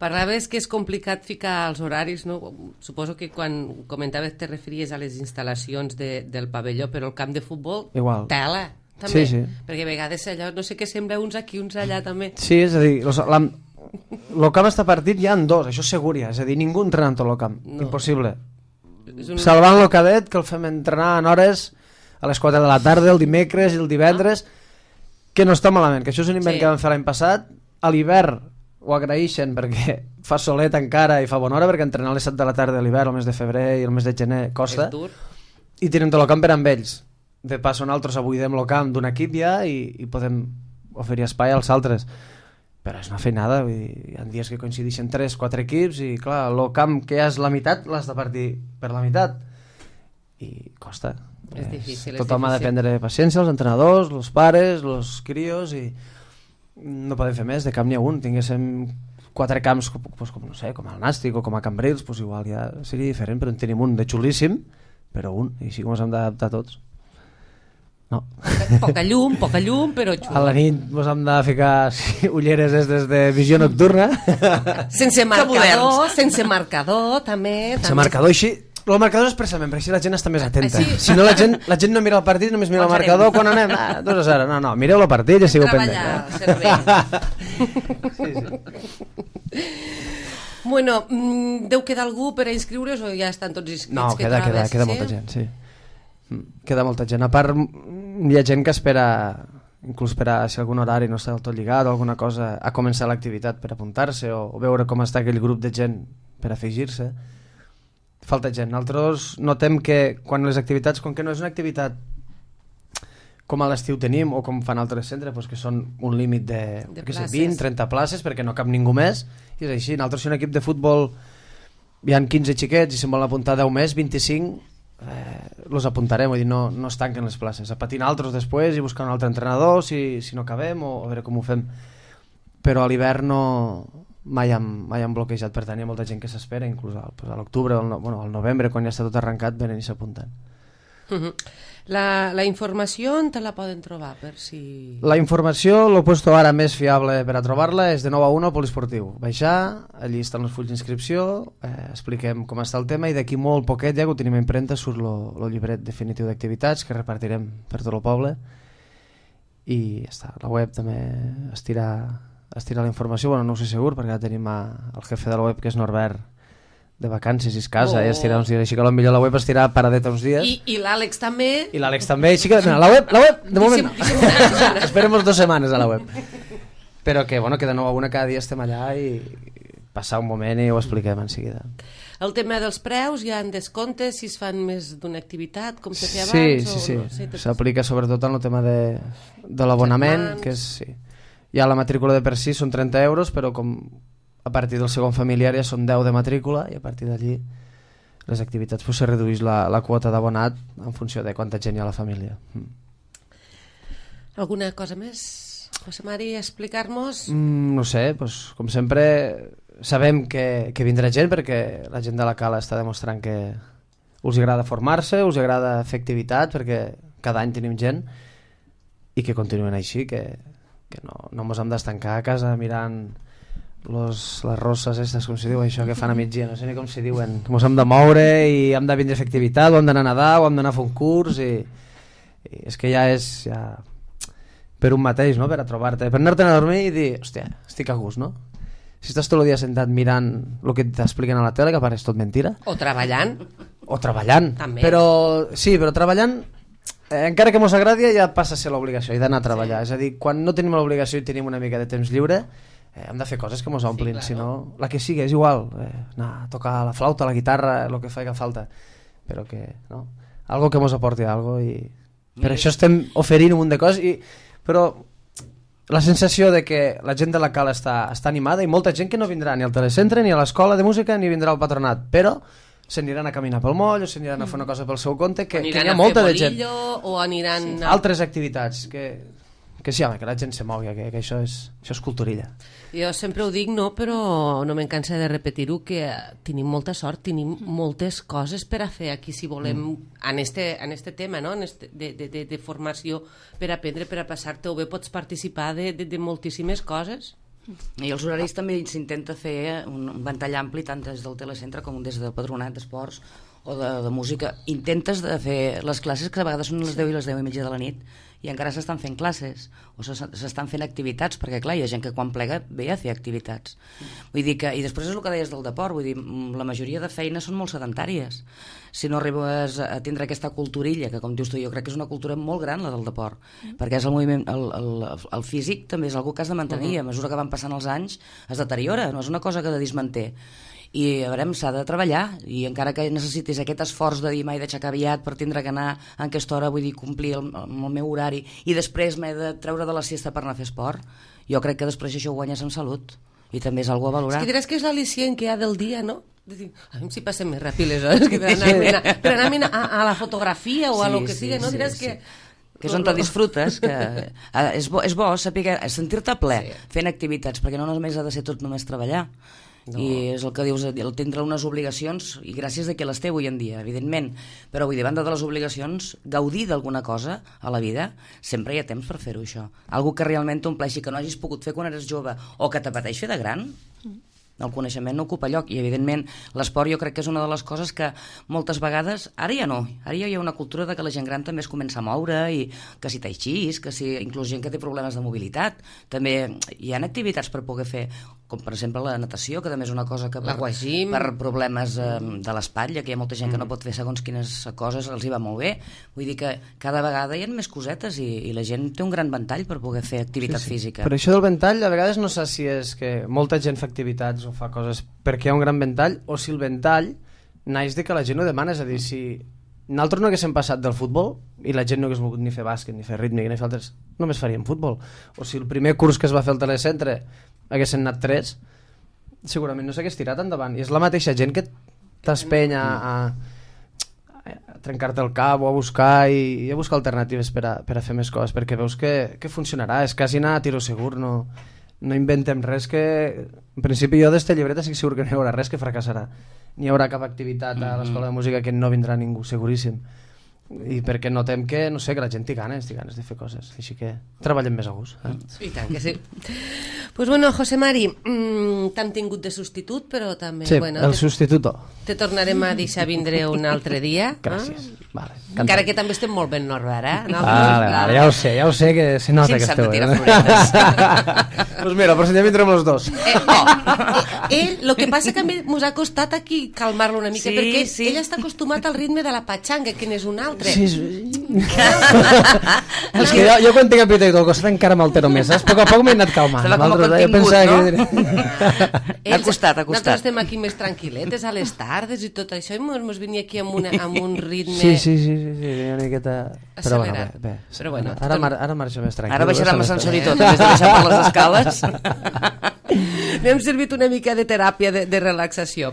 Speaker 1: Parlaves que és complicat ficar els horaris, no? Suposo que quan comentaves te referies a les instal·lacions del pavelló, però el camp de futbol,
Speaker 3: igual.
Speaker 1: Tela, també,
Speaker 3: sí.
Speaker 1: Perquè a vegades allò, no sé què sembla uns aquí, uns allà també.
Speaker 3: Sí, és a dir, el camp està partit ja en dos, això segur ja, és a dir, ningú entrena en tot el camp, no. Impossible. Salvant el cadet, que el fem entrenar en hores a les 4 de la tarda, el dimecres i el divendres, que no està malament, que això és un invent que vam fer l'any passat. A l'hivern ho agraeixen perquè fa solet encara i fa bona hora, perquè entrenar a les 7 de la tarda a l'hivern, el mes de febrer i el mes de gener costa, i tenen tot el camp per amb ells. De pas, nosaltres buidem el camp d'un equip ja i podem oferir espai als altres, però és una feinada, vull dir, hi ha dies que coincideixen 3-4 equips i clar, el camp que ja és la meitat l'has de partir per la meitat i costa.
Speaker 1: És difícil.
Speaker 3: Tothom ha de prendre paciència, els entrenadors, els pares, els crios, i no podem fer més, de camp n'hi ha un. Tinguéssim 4 camps com no sé, com el Nàstic o com a Cambrils, igual ja seria diferent, però en tenim un de xulíssim, però un, i així com ens hem d'adaptar tots. No.
Speaker 1: Poca llum, però xulo.
Speaker 3: A la nit ens hem de ficar ulleres des de visió nocturna.
Speaker 1: Sense marcador, també.
Speaker 3: Sense marcador, així. El marcador és expressament, perquè així la gent està més atenta. Si no, la gent no mira el partit, només mira el marcador. Quan anem? 2-0. No, mireu el partit i estigueu pendent.
Speaker 1: Treballar, sí. Bueno, deu quedar algú per a inscriure's o ja estan tots inscrits?
Speaker 3: No, queda molta gent, sí. Queda molta gent. A part, hi ha gent que espera, inclús per a si algun horari no està del tot lligat o alguna cosa, a començar l'activitat per apuntar-se o veure com està aquell grup de gent per afegir-se. Falta gent. Nosaltres notem que quan les activitats, com que no és una activitat com a l'estiu tenim o com fan altres centres, que són un límit de 20-30 places perquè no cap ningú més, i és així. Nosaltres, si un equip de futbol hi ha 15 xiquets i se'n volen apuntar 10 més, 25 los apuntarem, vull dir, no es tanquen les places, a patir altres després i buscar un altre entrenador si no acabem, o a veure com ho fem. Però a l'hivern mai hem bloquejat, per tant hi ha molta gent que s'espera, inclús a l'octubre o al novembre, quan ja està tot arrencat, venen i s'apunten.
Speaker 1: La informació on te la poden trobar? Per si...
Speaker 3: La informació, el puesto ara més fiable per a trobar-la és de 9 a 1 al poliesportiu. Baixar, allí estan els fulls d'inscripció, expliquem com està el tema, i d'aquí molt poquet, ja que ho tenim a impremta, surt el llibret definitiu d'activitats que repartirem per tot el poble, i ja està. La web també estirà estirar la informació, bueno, no ho sé segur, perquè ara tenim el jefe de la web, que és Norbert, de vacances i es casa, i estirar uns dies, així que potser la web estirà paradeta uns dies.
Speaker 1: I l'Àlex també.
Speaker 3: I l'Àlex també, així que la web, de moment no. Esperem 2 setmanes a la web. Però que, bueno, que de nou a una cada dia estem allà i passar un moment i ho expliquem en seguida.
Speaker 1: El tema dels preus, hi ha descomptes si es fan més d'una activitat, com se feia abans?
Speaker 3: Sí.
Speaker 1: No? Sí,
Speaker 3: s'aplica sobretot en el tema de l'abonament, que és... Sí. Ja la matrícula de per si són 30 euros, però com a partir del segon familiar ja són 10 de matrícula i a partir d'allí les activitats se redueix la quota d'abonat en funció de quanta gent hi ha a la família.
Speaker 1: Alguna cosa més, José Mari, explicar-nos?
Speaker 3: No sé, com sempre sabem que vindrà gent perquè la gent de la Cala està demostrant que us agrada formar-se, us agrada fer activitat perquè cada any tenim gent i que continuen així, que no ens hem d'estancar a casa mirant les rosses aquestes, com se diu això que fan a migdia, no sé ni com se diuen, ens hem de moure i hem de vindre a fer activitat, o hem d'anar a nedar o hem d'anar a fer un curs i és que ja és per un mateix, no? Per a trobar-te, per anar-te'n a dormir i dir, hòstia, estic a gust, no? Si estàs tot el dia sentat mirant el que t'expliquen a la tele, que pareix tot mentira,
Speaker 1: o treballant
Speaker 3: també. Però treballant encara que mos agradi ja passa a ser l'obligació, i d'anar a treballar, és a dir, quan no tenim l'obligació i tenim una mica de temps lliure hem de fer coses que mos omplin, si no, la que sigui, és igual, anar a tocar la flauta, la guitarra, el que faci falta, però que, no, algo que mos aporti algo i per això estem oferint un munt de coses, però la sensació de que la gent de la Cala està animada i molta gent que no vindrà ni al telecentre, ni a l'escola de música, ni vindrà al patronat, però s'aniran a caminar pel moll o s'aniran a fer una cosa pel seu compte, que hi ha molta de gent.
Speaker 1: O aniran
Speaker 3: a altres activitats, que sí, home, que la gent se mogui, que això és culturilla.
Speaker 1: Jo sempre ho dic, no, però no me'n cansa de repetir-ho, que tenim molta sort, tenim moltes coses per a fer aquí, si volem, en este tema, no? De formació per aprendre, per a passar-te-ho bé, pots participar de moltíssimes coses.
Speaker 4: I els horaris també s'intenta fer un ventall ampli, tant des del telecentre com des del patronat d'esports o de música. Intentes de fer les classes, que a vegades són les 10 i les 10 i mitja de la nit, i encara s'estan fent classes o s'estan fent activitats, perquè clar, hi ha gent que quan plega ve a fer activitats. Vull dir que, i després és el que deies del deport, vull dir, la majoria de feines són molt sedentàries. Si no arribes a tindre aquesta culturilla, que com dius tu, jo crec que és una cultura molt gran la del deport, perquè és el moviment, el físic també és algo que has de mantenir, a mesura que van passant els anys es deteriora, no és una cosa que de dismanter. I a veure, s'ha de treballar, i encara que necessitis aquest esforç de dir m'he d'aixecar aviat per tindre que anar en aquesta hora, vull dir, complir el meu horari, i després m'he de treure de la siesta per anar a fer esport, jo crec que després això ho guanyes en salut, i també és algo a valorar.
Speaker 1: És que diràs que és l'al·licient que hi ha del dia, no? A mi si passem més ràpid les hores que per anar a la fotografia o a lo que sigui, no? Diràs que
Speaker 4: és on te disfrutes, que és bo saber sentir-te ple fent activitats, perquè no només ha de ser tot només treballar. No. I és el que dius, el tindre unes obligacions, i gràcies a que les té avui en dia, evidentment, però vull dir, banda de les obligacions, gaudir d'alguna cosa a la vida, sempre hi ha temps per fer-ho, això. Algo que realment t'ompleixi, que no hagis pogut fer quan eres jove o que t'apeteix fer de gran. El coneixement no ocupa lloc, i evidentment l'esport jo crec que és una de les coses que moltes vegades, ara ja no, ara ja hi ha una cultura de que la gent gran també es comença a moure, i que si tai chi, que si inclús gent que té problemes de mobilitat, també hi ha activitats per poder fer, com per exemple la natació, que també és una cosa que per problemes de l'espatlla, que hi ha molta gent que no pot fer segons quines coses, els hi va molt bé. Vull dir que cada vegada hi ha més cosetes i la gent té un gran ventall per poder fer activitat física.
Speaker 3: Per això del ventall, a vegades no sé si és que molta gent fa activitats o fa coses perquè hi ha un gran ventall, o si el ventall naix de que la gent ho demana. És a dir, si nosaltres no haguéssim passat del futbol i la gent no hagués volgut ni fer bàsquet, ni fer rítmic, ni fer altres, només faríem futbol. O si el primer curs que es va fer al telecentre haguessin anat 3, segurament no s'hagués tirat endavant. I és la mateixa gent que t'espenya a trencar-te el cap o a buscar i a buscar alternatives per a fer més coses, perquè veus que funcionarà. És quasi anar a tiro segur, no inventem res que... En principi jo d'esta llibreta estic segur que no hi haurà res que fracassarà. Ni hi haurà cap activitat a l'escola de música que no vindrà ningú, seguríssim. I perquè notem que, no sé, que la gent té ganes de fer coses, així que treballem més a gust.
Speaker 1: I tant que sí. Pues bueno, José Mari, t'hem tingut de substitut, però també...
Speaker 3: Sí,
Speaker 1: bueno,
Speaker 3: el substituto.
Speaker 1: Te tornarem a deixar vindre un altre dia.
Speaker 3: Gràcies. Vale,
Speaker 1: Encara que també estem molt ben Norbert, eh?
Speaker 3: Vale, ja ho sé que se nota que esteu. Pues mira, però si ja vindrem els dos.
Speaker 1: El que passa que mos ha costat aquí calmar-lo una mica, perquè ell està acostumat al ritme de la patxanga, que n'és un altre.
Speaker 3: Sí. És que jo quan tinc apetito al costat encara m'altero més, saps? A poc a poc m'he anat calmant.
Speaker 4: Estava com a contingut, no?
Speaker 3: Ha costat.
Speaker 1: Nosaltres estem aquí més tranquil·letes a les tardes i tot això, i mos venia aquí amb un ritme...
Speaker 3: Sí, una miqueta... Però bé.
Speaker 1: Però bueno,
Speaker 3: ara marxa més tranquil.
Speaker 4: Ara baixarem l'ascensor i tot, en vez de baixar per les escales.
Speaker 1: N'hem servit una mica de teràpia de relaxació.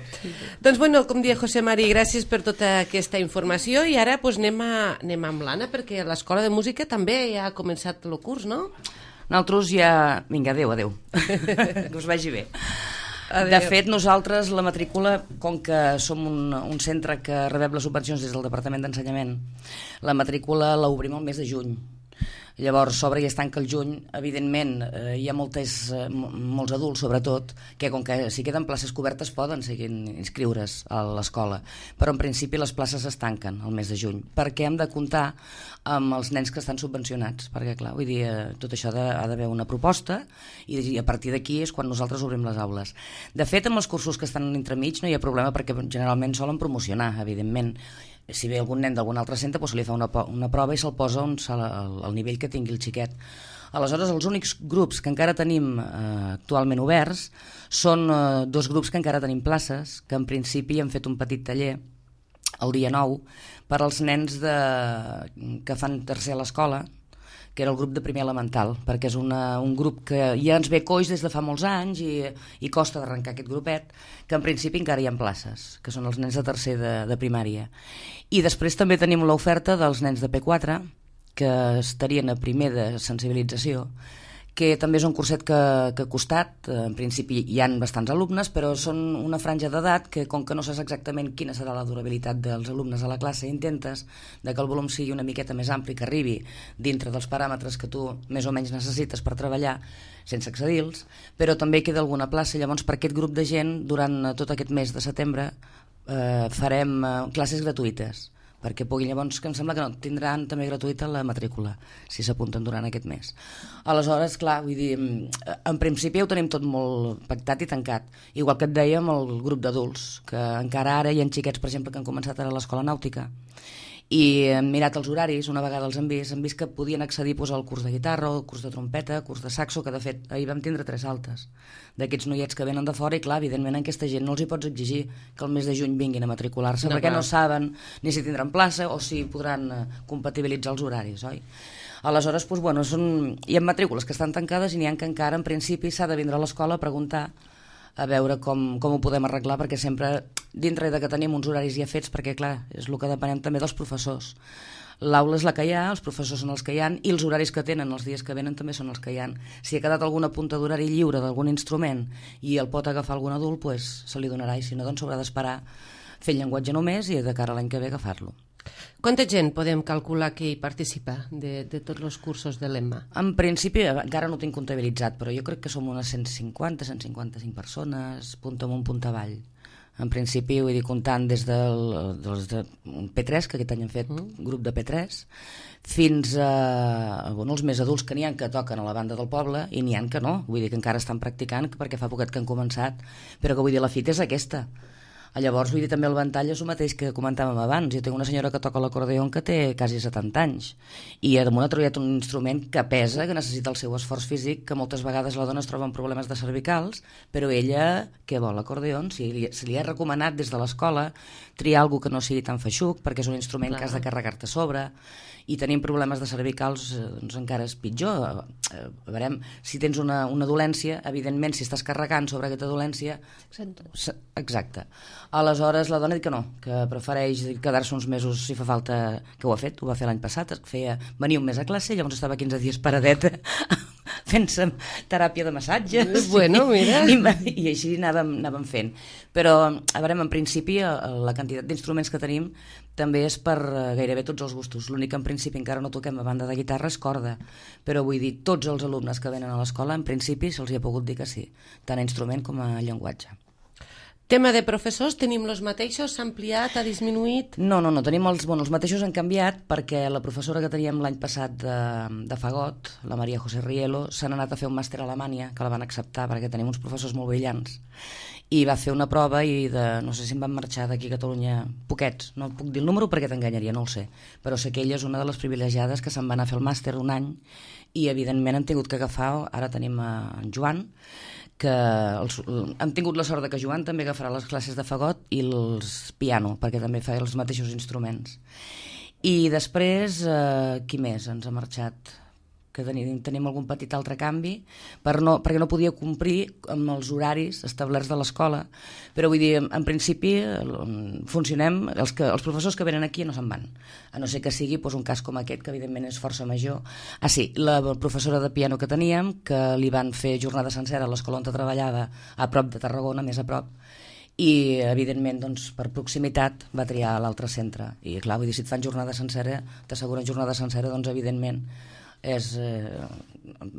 Speaker 1: Doncs bueno, com deia José Mari, gràcies per tota aquesta informació, i ara pues, anem amb l'Anna, perquè l'Escola de Música també ja ha començat el curs, no?
Speaker 4: Nosaltres ja... Vinga, adeu. Que us vagi bé.
Speaker 1: Adeu.
Speaker 4: De fet, nosaltres la matrícula, com que som un centre que rebem les subvencions des del Departament d'Ensenyament, la matrícula l'obrim el mes de juny. Llavors s'obre i es tanca el juny. Evidentment hi ha molts adults sobretot que com que si queden places cobertes poden seguir inscriure's a l'escola, però en principi les places es tanquen el mes de juny perquè hem de comptar amb els nens que estan subvencionats, perquè clar, vull dir, tot això ha d'haver una proposta i a partir d'aquí és quan nosaltres obrim les aules. De fet, amb els cursos que estan entremig no hi ha problema perquè generalment solen promocionar, evidentment. Si ve algun nen d'algun altre centre, doncs se li fa una prova i se'l posa al nivell que tingui el xiquet. Aleshores, els únics grups que encara tenim actualment oberts són dos grups que encara tenim places, que en principi hem fet un petit taller el dia 9 per als nens que fan tercer a l'escola, que era el grup de primer elemental, perquè és un grup que ja ens ve coix des de fa molts anys i costa d'arrencar aquest grupet, que en principi encara hi ha places, que són els nens de tercer de primària. I després també tenim l'oferta dels nens de P4, que estarien a primer de sensibilització, que també és un curset que ha costat. En principi hi han bastants alumnes, però són una franja d'edat que, com que no saps exactament quina serà la durabilitat dels alumnes a la classe, intentes que el volum sigui una miqueta més ampli, que arribi dintre dels paràmetres que tu més o menys necessites per treballar, sense excedir-los, però també queda alguna plaça. Llavors, per aquest grup de gent, durant tot aquest mes de setembre, farem classes gratuïtes, perquè puguin, llavors, que em sembla que no, tindran també gratuïta la matrícula, si s'apunten durant aquest mes. Aleshores, clar, vull dir, en principi ho tenim tot molt pactat i tancat, igual que et deia amb el grup d'adults, que encara ara hi ha xiquets, per exemple, que han començat ara a l'escola nàutica, i hem mirat els horaris, una vegada els hem vist que podien accedir al curs de guitarra, al curs de trompeta, al curs de saxo, que de fet ahir vam tindre 3 altes d'aquests noiets que venen de fora, i clar, evidentment a aquesta gent no els hi pots exigir que el mes de juny vinguin a matricular-se, perquè no saben ni si tindran plaça o si podran compatibilitzar els horaris, oi? Aleshores, doncs, bueno, hi ha matrícules que estan tancades i n'hi ha que encara en principi s'ha de vindre a l'escola a preguntar a veure com ho podem arreglar, perquè sempre dintre de que tenim uns horaris ja fets, perquè clar, és el que depenem també dels professors. L'aula és la que hi ha, els professors són els que hi ha, i els horaris que tenen els dies que venen també són els que hi ha. Si ha quedat alguna punta d'horari lliure d'algun instrument i el pot agafar algun adult, doncs se li donarà, i si no, doncs s'haurà d'esperar fer el llenguatge només i de cara a l'any que ve agafar-lo.
Speaker 1: Quanta gent podem calcular que hi participa de tots els cursos de l'EMMA?
Speaker 4: En principi, encara no ho tinc comptabilitzat, però jo crec que som unes 150-155 persones, punta amunt, punta avall. En principi, vull dir, comptant des del P3, que aquest any hem fet grup de P3, fins a els més adults, que n'hi ha que toquen a la banda del poble i n'hi ha que no, vull dir que encara estan practicant perquè fa poquet que han començat, però que vull dir, la fita és aquesta. Llavors, vull dir, també el ventall és el mateix que comentàvem abans. Jo tinc una senyora que toca l'acordeó que té quasi 70 anys i damunt ha treballat un instrument que pesa, que necessita el seu esforç físic, que moltes vegades la dona es troba amb problemes de cervicals, però ella, què vol, l'acordeó? Si li ha recomanat des de l'escola triar alguna que no sigui tan feixuc, perquè és un instrument que has de carregar-te a sobre, i tenim problemes de cervicals, doncs encara és pitjor. Veurem, si tens una dolència, evidentment, si estàs carregant sobre aquesta dolència... Exacte. Aleshores, la dona ha dit que no, que prefereix quedar-se uns mesos si fa falta, que ho ha fet, ho va fer l'any passat, venir un mes a classe, llavors estava 15 dies paradeta fent-se teràpia de massatges.
Speaker 1: Bueno, mira.
Speaker 4: I així anàvem fent. Però, a veure, en principi, la quantitat d'instruments que tenim també és per gairebé tots els gustos. L'únic que en principi encara no toquem a banda de guitarra és corda. Però vull dir, tots els alumnes que venen a l'escola, en principi, se'ls hi ha pogut dir que sí, tant a instrument com a llenguatge.
Speaker 1: Tema de professors, tenim els mateixos? S'ha ampliat, ha disminuït?
Speaker 4: No, tenim els mateixos han canviat perquè la professora que teníem l'any passat de fagot, la Maria José Rielo, s'han anat a fer un màster a Alemanya, que la van acceptar perquè tenim uns professors molt brillants, i va fer una prova i no sé si em van marxar d'aquí a Catalunya poquets, no puc dir el número perquè t'enganyaria, no ho sé, però sé que ella és una de les privilegiades que se'n va anar a fer el màster un any i evidentment han tingut que agafar, ara tenim en Joan, que han tingut la sort de que Joan també agafarà les classes de fagot i els piano, perquè també fa els mateixos instruments. I després, qui més ens ha marxat? Que tenim algun petit altre canvi, perquè no podia complir amb els horaris establerts de l'escola, però vull dir, en principi funcionem, els professors que venen aquí no se'n van, a no ser que sigui un cas com aquest, que evidentment és força major. Sí, la professora de piano que teníem, que li van fer jornada sencera a l'escola on treballava, a prop de Tarragona, més a prop, i evidentment doncs, per proximitat va triar l'altre centre, i clar, vull dir, si et fan jornada sencera, t'asseguren jornada sencera, doncs evidentment és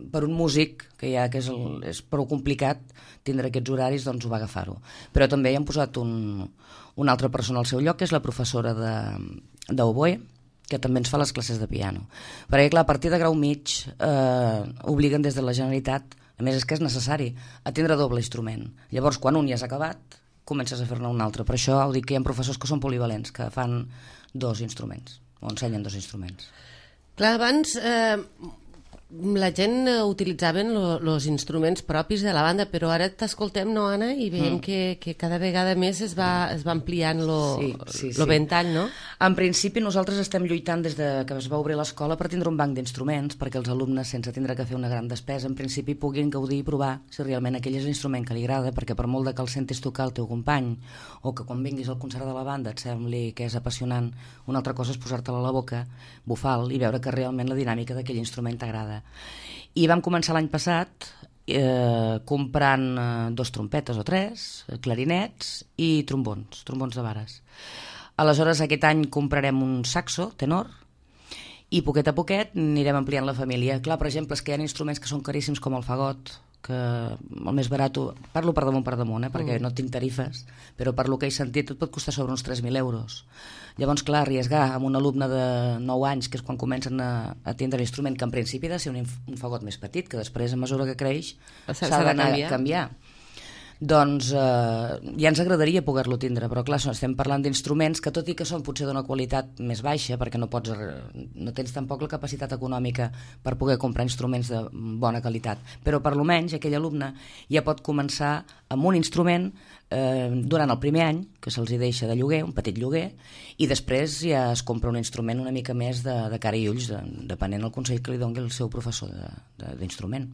Speaker 4: per un músic que és prou complicat tindre aquests horaris, doncs ho va agafar-ho. Però també hi han posat una altra persona al seu lloc, que és la professora d'oboe, que també ens fa les classes de piano, perquè clar, a partir de grau mig obliguen des de la Generalitat, a més és que és necessari, a tindre doble instrument. Llavors quan un ja has acabat comences a fer-ne un altre. Per això ho dic, que hi ha professors que són polivalents, que fan 2 instruments o ensenyen 2 instruments.
Speaker 1: Clar, abans la gent utilitzaven els instruments propis de la banda, però ara t'escoltem, no, Anna? I veiem que cada vegada més es va ampliant lo ventall, no?
Speaker 4: En principi nosaltres estem lluitant des de que es va obrir l'escola per tindre un banc d'instruments, perquè els alumnes, sense tindre que fer una gran despesa, en principi puguin gaudir i provar si realment aquell és l'instrument que li agrada, perquè per molt que el sentis tocar el teu company, o que quan vinguis al concert de la banda et sembli que és apassionant, una altra cosa és posar-te-la a la boca, bufar-lo i veure que realment la dinàmica d'aquell instrument t'agrada. I vam començar l'any passat comprant 2 trompetes o 3, clarinets i trombons de vares. Aleshores aquest any comprarem un saxo tenor i poquet a poquet anirem ampliant la família. Clar, per exemple, és que hi ha instruments que són caríssims com el fagot, que el més barat, parlo per damunt, perquè no tinc tarifes, però per lo que he sentit tot pot costar sobre uns 3.000 euros. Llavors, clar, arriesgar amb un alumne de 9 anys, que és quan comencen a tindre l'instrument, que en principi ha de ser un fagot més petit, que després, a mesura que creix, s'ha d'anar a canviar. Doncs ja ens agradaria poder-lo tindre, però clar, estem parlant d'instruments que tot i que són potser d'una qualitat més baixa, perquè no tens tampoc la capacitat econòmica per poder comprar instruments de bona qualitat, però per almenys aquell alumne ja pot començar amb un instrument durant el primer any, que se'ls deixa de lloguer, un petit lloguer, i després ja es compra un instrument una mica més de cara i ulls, depenent del consell que li doni el seu professor d'instrument.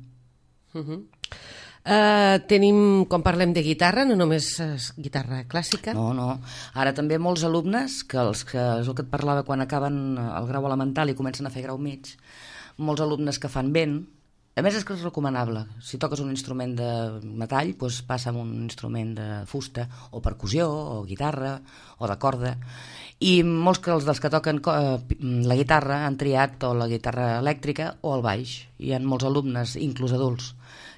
Speaker 1: Tenim, quan parlem de guitarra, no només guitarra clàssica?
Speaker 4: No. Ara també molts alumnes, que és el que et parlava quan acaben el grau elemental i comencen a fer grau mig, molts alumnes que fan vent, a més és que és recomanable. Si toques un instrument de metall, doncs passa amb un instrument de fusta, o percussió, o guitarra, o de corda. I molts dels que toquen la guitarra han triat o la guitarra elèctrica o el baix. Hi ha molts alumnes, inclús adults,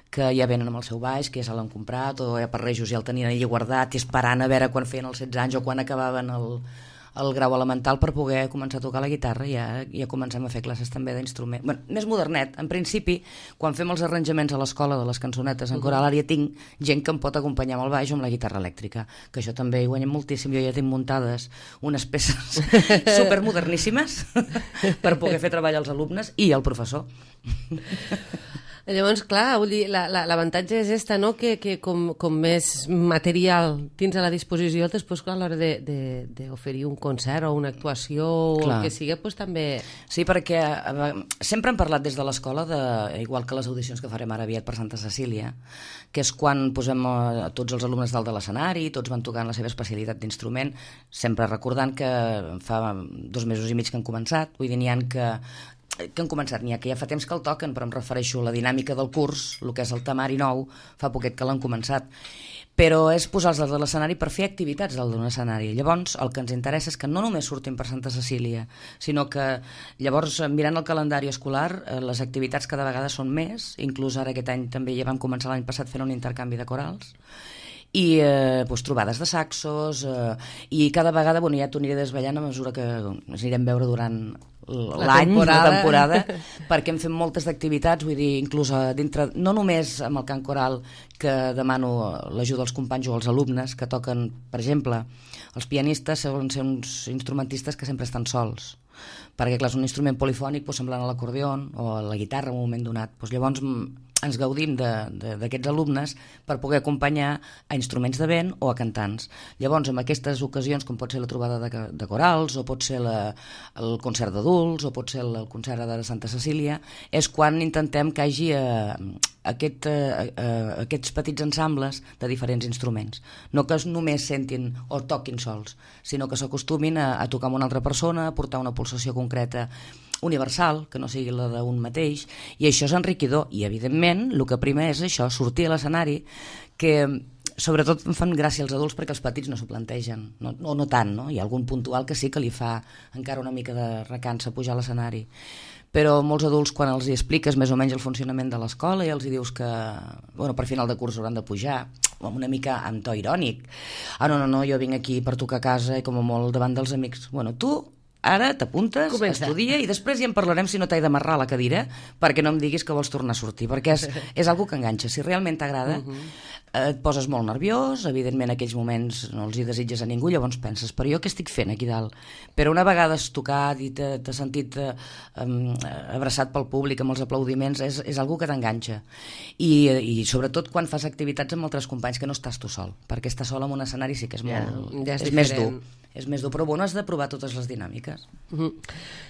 Speaker 4: que ja venen amb el seu baix, que ja se l'han comprat, o ja per Rejos ja el tenien allà guardat i esperant a veure quan feien els 16 anys o quan acabaven el grau elemental per poder començar a tocar la guitarra. Ja comencem a fer classes també d'instrument. Bueno, més modernet. En principi, quan fem els arranjaments a l'escola de les cançonetes en coral, ja tinc gent que em pot acompanyar amb el baix o amb la guitarra elèctrica, que això també hi guanyem moltíssim. Jo ja tinc muntades unes peces supermoderníssimes per poder fer treballar els alumnes i el professor.
Speaker 1: Llavors, clar, vull dir, l'avantatge és esta, no? Que com més material tens a la disposició, després, clar, a l'hora d'oferir un concert o una actuació o el que sigui, doncs també...
Speaker 4: Sí, perquè sempre hem parlat des de l'escola, igual que les audicions que farem ara aviat per Santa Cecília, que és quan posem tots els alumnes dalt de l'escenari, tots van tocant la seva especialitat d'instrument, sempre recordant que fa 2 mesos i mig que han començat, vull dir, n'hi ha que que han començat, n'hi ha que ja fa temps que el toquen, però em refereixo a la dinàmica del curs, el que és el temari nou, fa poquet que l'han començat. Però és posar-los a l'escenari per fer activitats dalt d'un escenari. Llavors, el que ens interessa és que no només surtin per Santa Cecília, sinó que llavors, mirant el calendari escolar, les activitats cada vegada són més, inclús ara aquest any també ja vam començar l'any passat fent un intercanvi de corals, i trobades de saxos, i cada vegada ja t'ho aniré desvetllant a mesura que ens anirem veure durant l'any, la temporada, perquè hem fet moltes activitats, vull dir, inclús dintre, no només amb el cant coral, que demano l'ajuda dels companys o els alumnes que toquen, per exemple, els pianistes solen ser uns instrumentistes que sempre estan sols, perquè clar, és un instrument polifònic semblant a l'acordion o a la guitarra en un moment donat. Llavors ens gaudim d'aquests alumnes per poder acompanyar a instruments de vent o a cantants. Llavors, en aquestes ocasions, com pot ser la trobada de corals, o pot ser el concert d'adults, o pot ser el concert de Santa Cecília, és quan intentem que hi hagi aquests petits ensembles de diferents instruments. No que només sentin o toquin sols, sinó que s'acostumin a tocar amb una altra persona, a portar una pulsació concreta universal, que no sigui la d'un mateix, i això és enriquidor. I, evidentment, el que prima és això, sortir a l'escenari, que sobretot em fan gràcia els adults perquè els petits no s'ho plantegen, no tant, no? Hi ha algun puntual que sí que li fa encara una mica de recança pujar a l'escenari, però molts adults, quan els hi expliques més o menys el funcionament de l'escola i els hi dius que per final de curs hauran de pujar, una mica amb to irònic, no, jo vinc aquí per tocar a casa i com a molt davant dels amics, tu ara t'apuntes, estudia i després ja en parlarem si no t'he d'amarrar a la cadira perquè no em diguis que vols tornar a sortir, perquè és algo que enganxa. Si realment t'agrada, et poses molt nerviós, evidentment en aquells moments no els hi desitges a ningú, llavors penses, però jo què estic fent aquí dalt? Però una vegada has tocat i t'has sentit abraçat pel públic amb els aplaudiments, és algo que t'enganxa. I sobretot quan fas activitats amb altres companys, que no estàs tu sol, perquè estar sol en un escenari sí que és és més dur. És més dur, però has de provar totes les dinàmiques.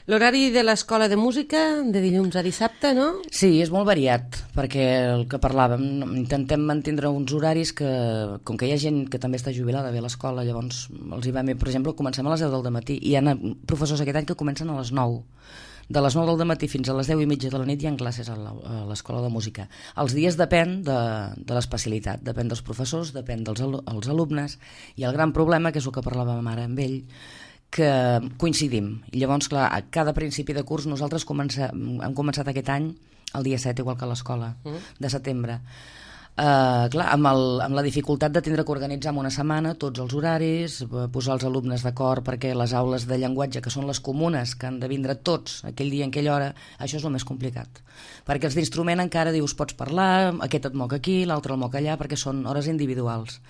Speaker 1: L'horari de l'escola de música, de dilluns a dissabte, no?
Speaker 4: Sí, és molt variat, perquè el que parlàvem, intentem mantindre uns horaris que, com que hi ha gent que també està jubilada bé a l'escola, llavors els hi va bé, per exemple, comencem a les 10 del matí, i hi ha professors aquest any que comencen a les 9. De les 9 del matí fins a les 10:30 de la nit hi ha classes a l'escola de música. Els dies depèn de l'especialitat, depèn dels professors, depèn dels alumnes, i el gran problema, que és el que parlàvem ara amb ell, que coincidim. I llavors, clar, a cada principi de curs nosaltres hem començat aquest any el dia 7, igual que a l'escola, de setembre. Clar, amb la dificultat de tindre que organitzar en una setmana tots els horaris, posar els alumnes d'acord perquè les aules de llenguatge, que són les comunes, que han de vindre tots aquell dia en aquella hora, això és el més complicat. Perquè els d'instrument encara dius, pots parlar, aquest et moc aquí, l'altre el moc allà, perquè són hores individuals.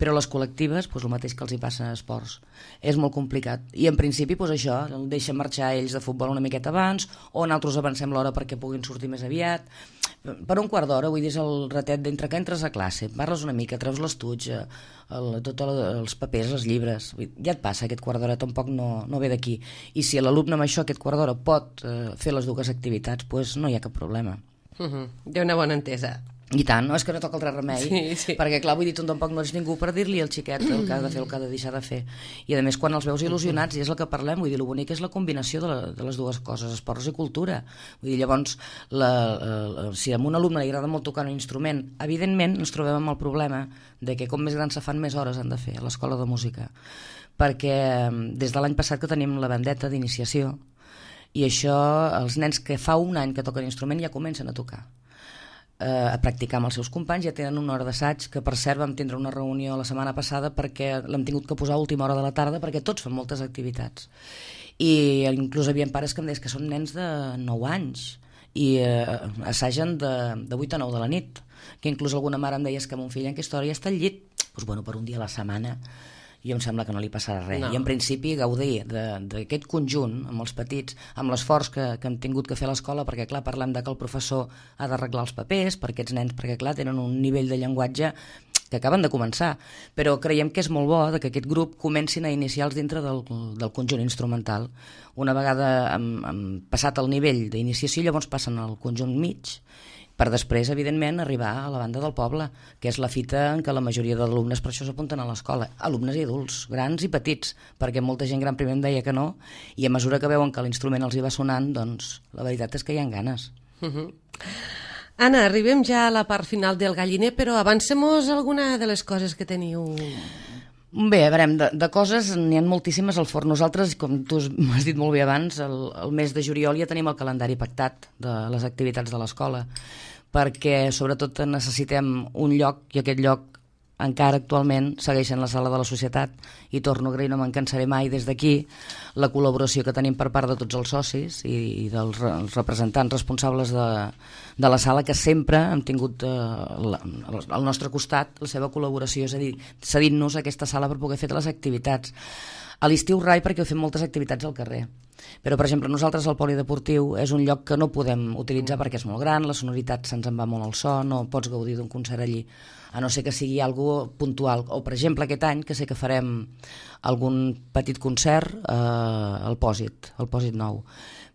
Speaker 4: Però les col·lectives, el mateix que els hi passa a esports, és molt complicat. I en principi, això, deixen marxar ells de futbol una miqueta abans, o nosaltres avancem l'hora perquè puguin sortir més aviat. Per un quart d'hora, vull dir, és el ratet d'entre que entres a classe, parles una mica, treus l'estuig, tots els papers, els llibres, ja et passa aquest quart d'hora, tampoc no ve d'aquí. I si l'alumne amb això, aquest quart d'hora, pot fer les dues activitats, doncs no hi ha cap problema.
Speaker 1: Hi ha una bona entesa.
Speaker 4: I tant, no? És que no toca altre remei,
Speaker 1: sí.
Speaker 4: Perquè clar, vull dir, tu tampoc no ets ningú per dir-li al xiquet el que ha de fer, el que ha de deixar de fer. I a més, quan els veus il·lusionats, i és el que parlem, vull dir, el bonic és la combinació de les dues coses, esports i cultura. Vull dir, llavors, si a un alumne li agrada molt tocar un instrument, evidentment ens trobem amb el problema de que com més grans se fan, més hores han de fer a l'escola de música. Perquè des de l'any passat que tenim la bandeta d'iniciació, i això, els nens que fa un any que toquen instrument ja comencen a tocar, a practicar amb els seus companys, ja tenen una hora d'assaig, que per cert vam tindre una reunió la setmana passada perquè l'hem tingut que posar a última hora de la tarda perquè tots fan moltes activitats. I inclús hi havia pares que em deies que són nens de 9 anys i assagen de 8 a 9 de la nit, que inclús alguna mare em deia que mon fill en aquesta hora ja està al llit. Doncs per un dia a la setmana jo em sembla que no li passarà res. I en principi gaudir d'aquest conjunt amb els petits, amb l'esforç que hem tingut que fer a l'escola, perquè clar, parlem que el professor ha d'arreglar els papers per aquests nens, perquè clar, tenen un nivell de llenguatge que acaben de començar, però creiem que és molt bo que aquest grup comencin a iniciar-los dintre del conjunt instrumental. Una vegada han passat el nivell d'iniciació, llavors passen al conjunt mig, per després, evidentment, arribar a la banda del poble, que és la fita en què la majoria d'alumnes per això s'apunten a l'escola, alumnes i adults, grans i petits, perquè molta gent gran primer em deia que no, i a mesura que veuen que l'instrument els hi va sonant, doncs la veritat és que hi ha ganes.
Speaker 1: Anna, arribem ja a la part final del galliner, però avancem-nos alguna de les coses que teniu...
Speaker 4: Bé, a veure, de coses n'hi ha moltíssimes al forn. Nosaltres, com tu m'has dit molt bé abans, el mes de juliol ja tenim el calendari pactat de les activitats de l'escola, perquè sobretot necessitem un lloc, i aquest lloc encara actualment segueix en la sala de la societat, i torno a agrair, no me'n cansaré mai des d'aquí, la col·laboració que tenim per part de tots els socis i dels representants responsables de la sala, que sempre hem tingut al nostre costat la seva col·laboració, és a dir, cedint-nos aquesta sala per poder fer les activitats. A l'estiu rai, perquè fem moltes activitats al carrer. Però, per exemple, nosaltres al polideportiu és un lloc que no podem utilitzar perquè és molt gran, la sonoritat se'ns en va molt al so, no pots gaudir d'un concert allí, a no ser que sigui algo puntual. O, per exemple, aquest any, que sé que farem algun petit concert al Pòsit nou.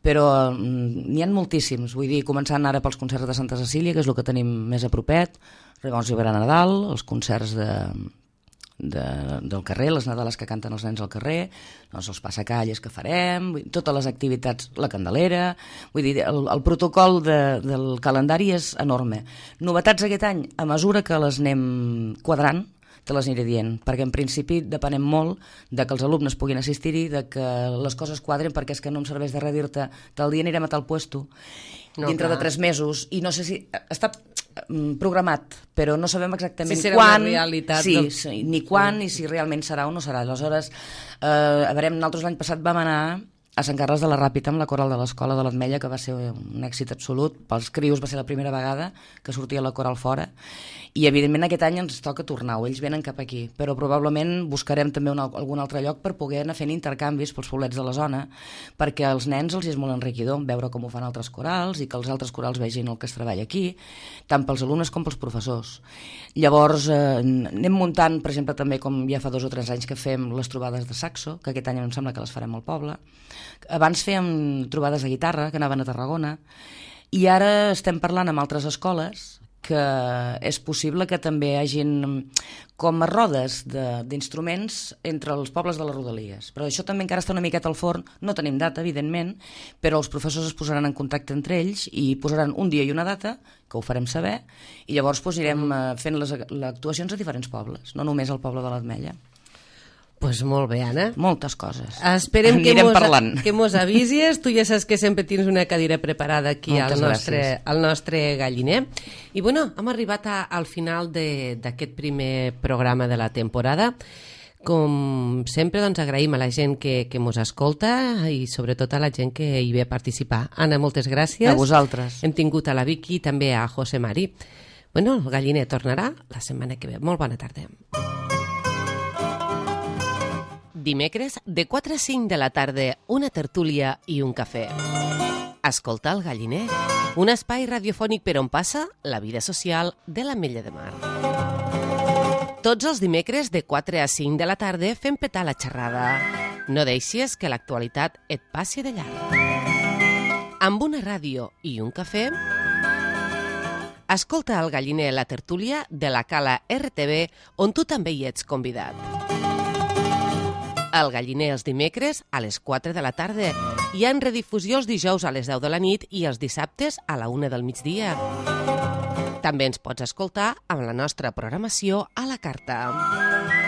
Speaker 4: Però n'hi ha moltíssims, vull dir, començant ara pels concerts de Santa Cecília, que és el que tenim més a propet, llavors hi haurà Nadal, els concerts del carrer, les Nadales que canten els nens al carrer, doncs els passacalles que farem, totes les activitats, la Candelera, vull dir, el protocol del calendari és enorme. Novetats aquest any, a mesura que les anem quadrant, te les aniré dient, perquè en principi depenem molt de que els alumnes puguin assistir-hi, de que les coses quadren, perquè és que no em serveix de res dir-te tal dia anirem a tal puesto, dintre de 3 mesos, i no sé si està programat, però no sabem exactament
Speaker 1: si serà
Speaker 4: quan,
Speaker 1: una realitat,
Speaker 4: ni quan, ni si realment serà o no serà. Aleshores, a veure, nosaltres l'any passat vam anar a Sant Carles de la Ràpita amb la coral de l'Escola de l'Ametlla, que va ser un èxit absolut. Pels crios va ser la primera vegada que sortia la coral fora, i evidentment aquest any ens toca tornar, o ells venen cap aquí, però probablement buscarem també algun altre lloc per poder anar fent intercanvis pels poblets de la zona, perquè als nens els és molt enriquidor veure com ho fan altres corals i que els altres corals vegin el que es treballa aquí, tant pels alumnes com pels professors. Llavors anem muntant, per exemple, també com ja fa 2 o 3 anys que fem les trobades de saxo, que aquest any em sembla que les farem al poble. Abans fèiem trobades de guitarra, que anaven a Tarragona, i ara estem parlant amb altres escoles que és possible que també hi hagin com a rodes d'instruments entre els pobles de les Rodalies. Però això també encara està una miqueta al forn, no tenim data, evidentment, però els professors es posaran en contacte entre ells i posaran un dia i una data, que ho farem saber, i llavors anirem fent les actuacions a diferents pobles, no només al poble de l'Ametlla.
Speaker 1: Pues molt bé, Anna.
Speaker 4: Moltes coses.
Speaker 1: Esperem que mos avisis. Tu ja saps que sempre tens una cadira preparada aquí al nostre galliner. I bueno, hem arribat al final d'aquest primer programa de la temporada. Com sempre, doncs, agraïm a la gent que mos escolta i sobretot a la gent que hi ve a participar. Anna, moltes gràcies.
Speaker 4: A vosaltres.
Speaker 1: Hem tingut a la Vicky i també a José Mari. Bueno, el galliner tornarà la setmana que ve. Molt bona tarda. Dimecres, de 4 a 5 de la tarda, una tertúlia i un cafè. Escolta el galliner, un espai radiofònic per on passa la vida social de l'Ametlla de Mar. Tots els dimecres, de 4 a 5 de la tarda, fem petar la xerrada. No deixis que l'actualitat et passi de llarg. Amb una ràdio i un cafè, escolta el galliner, la tertúlia de la Cala RTV, on tu també hi ets convidat. El galliner els dimecres a les 4 de la tarda i en redifusió els dijous a les 10 de la nit i els dissabtes a la 1 del migdia. També ens pots escoltar amb la nostra programació a la carta.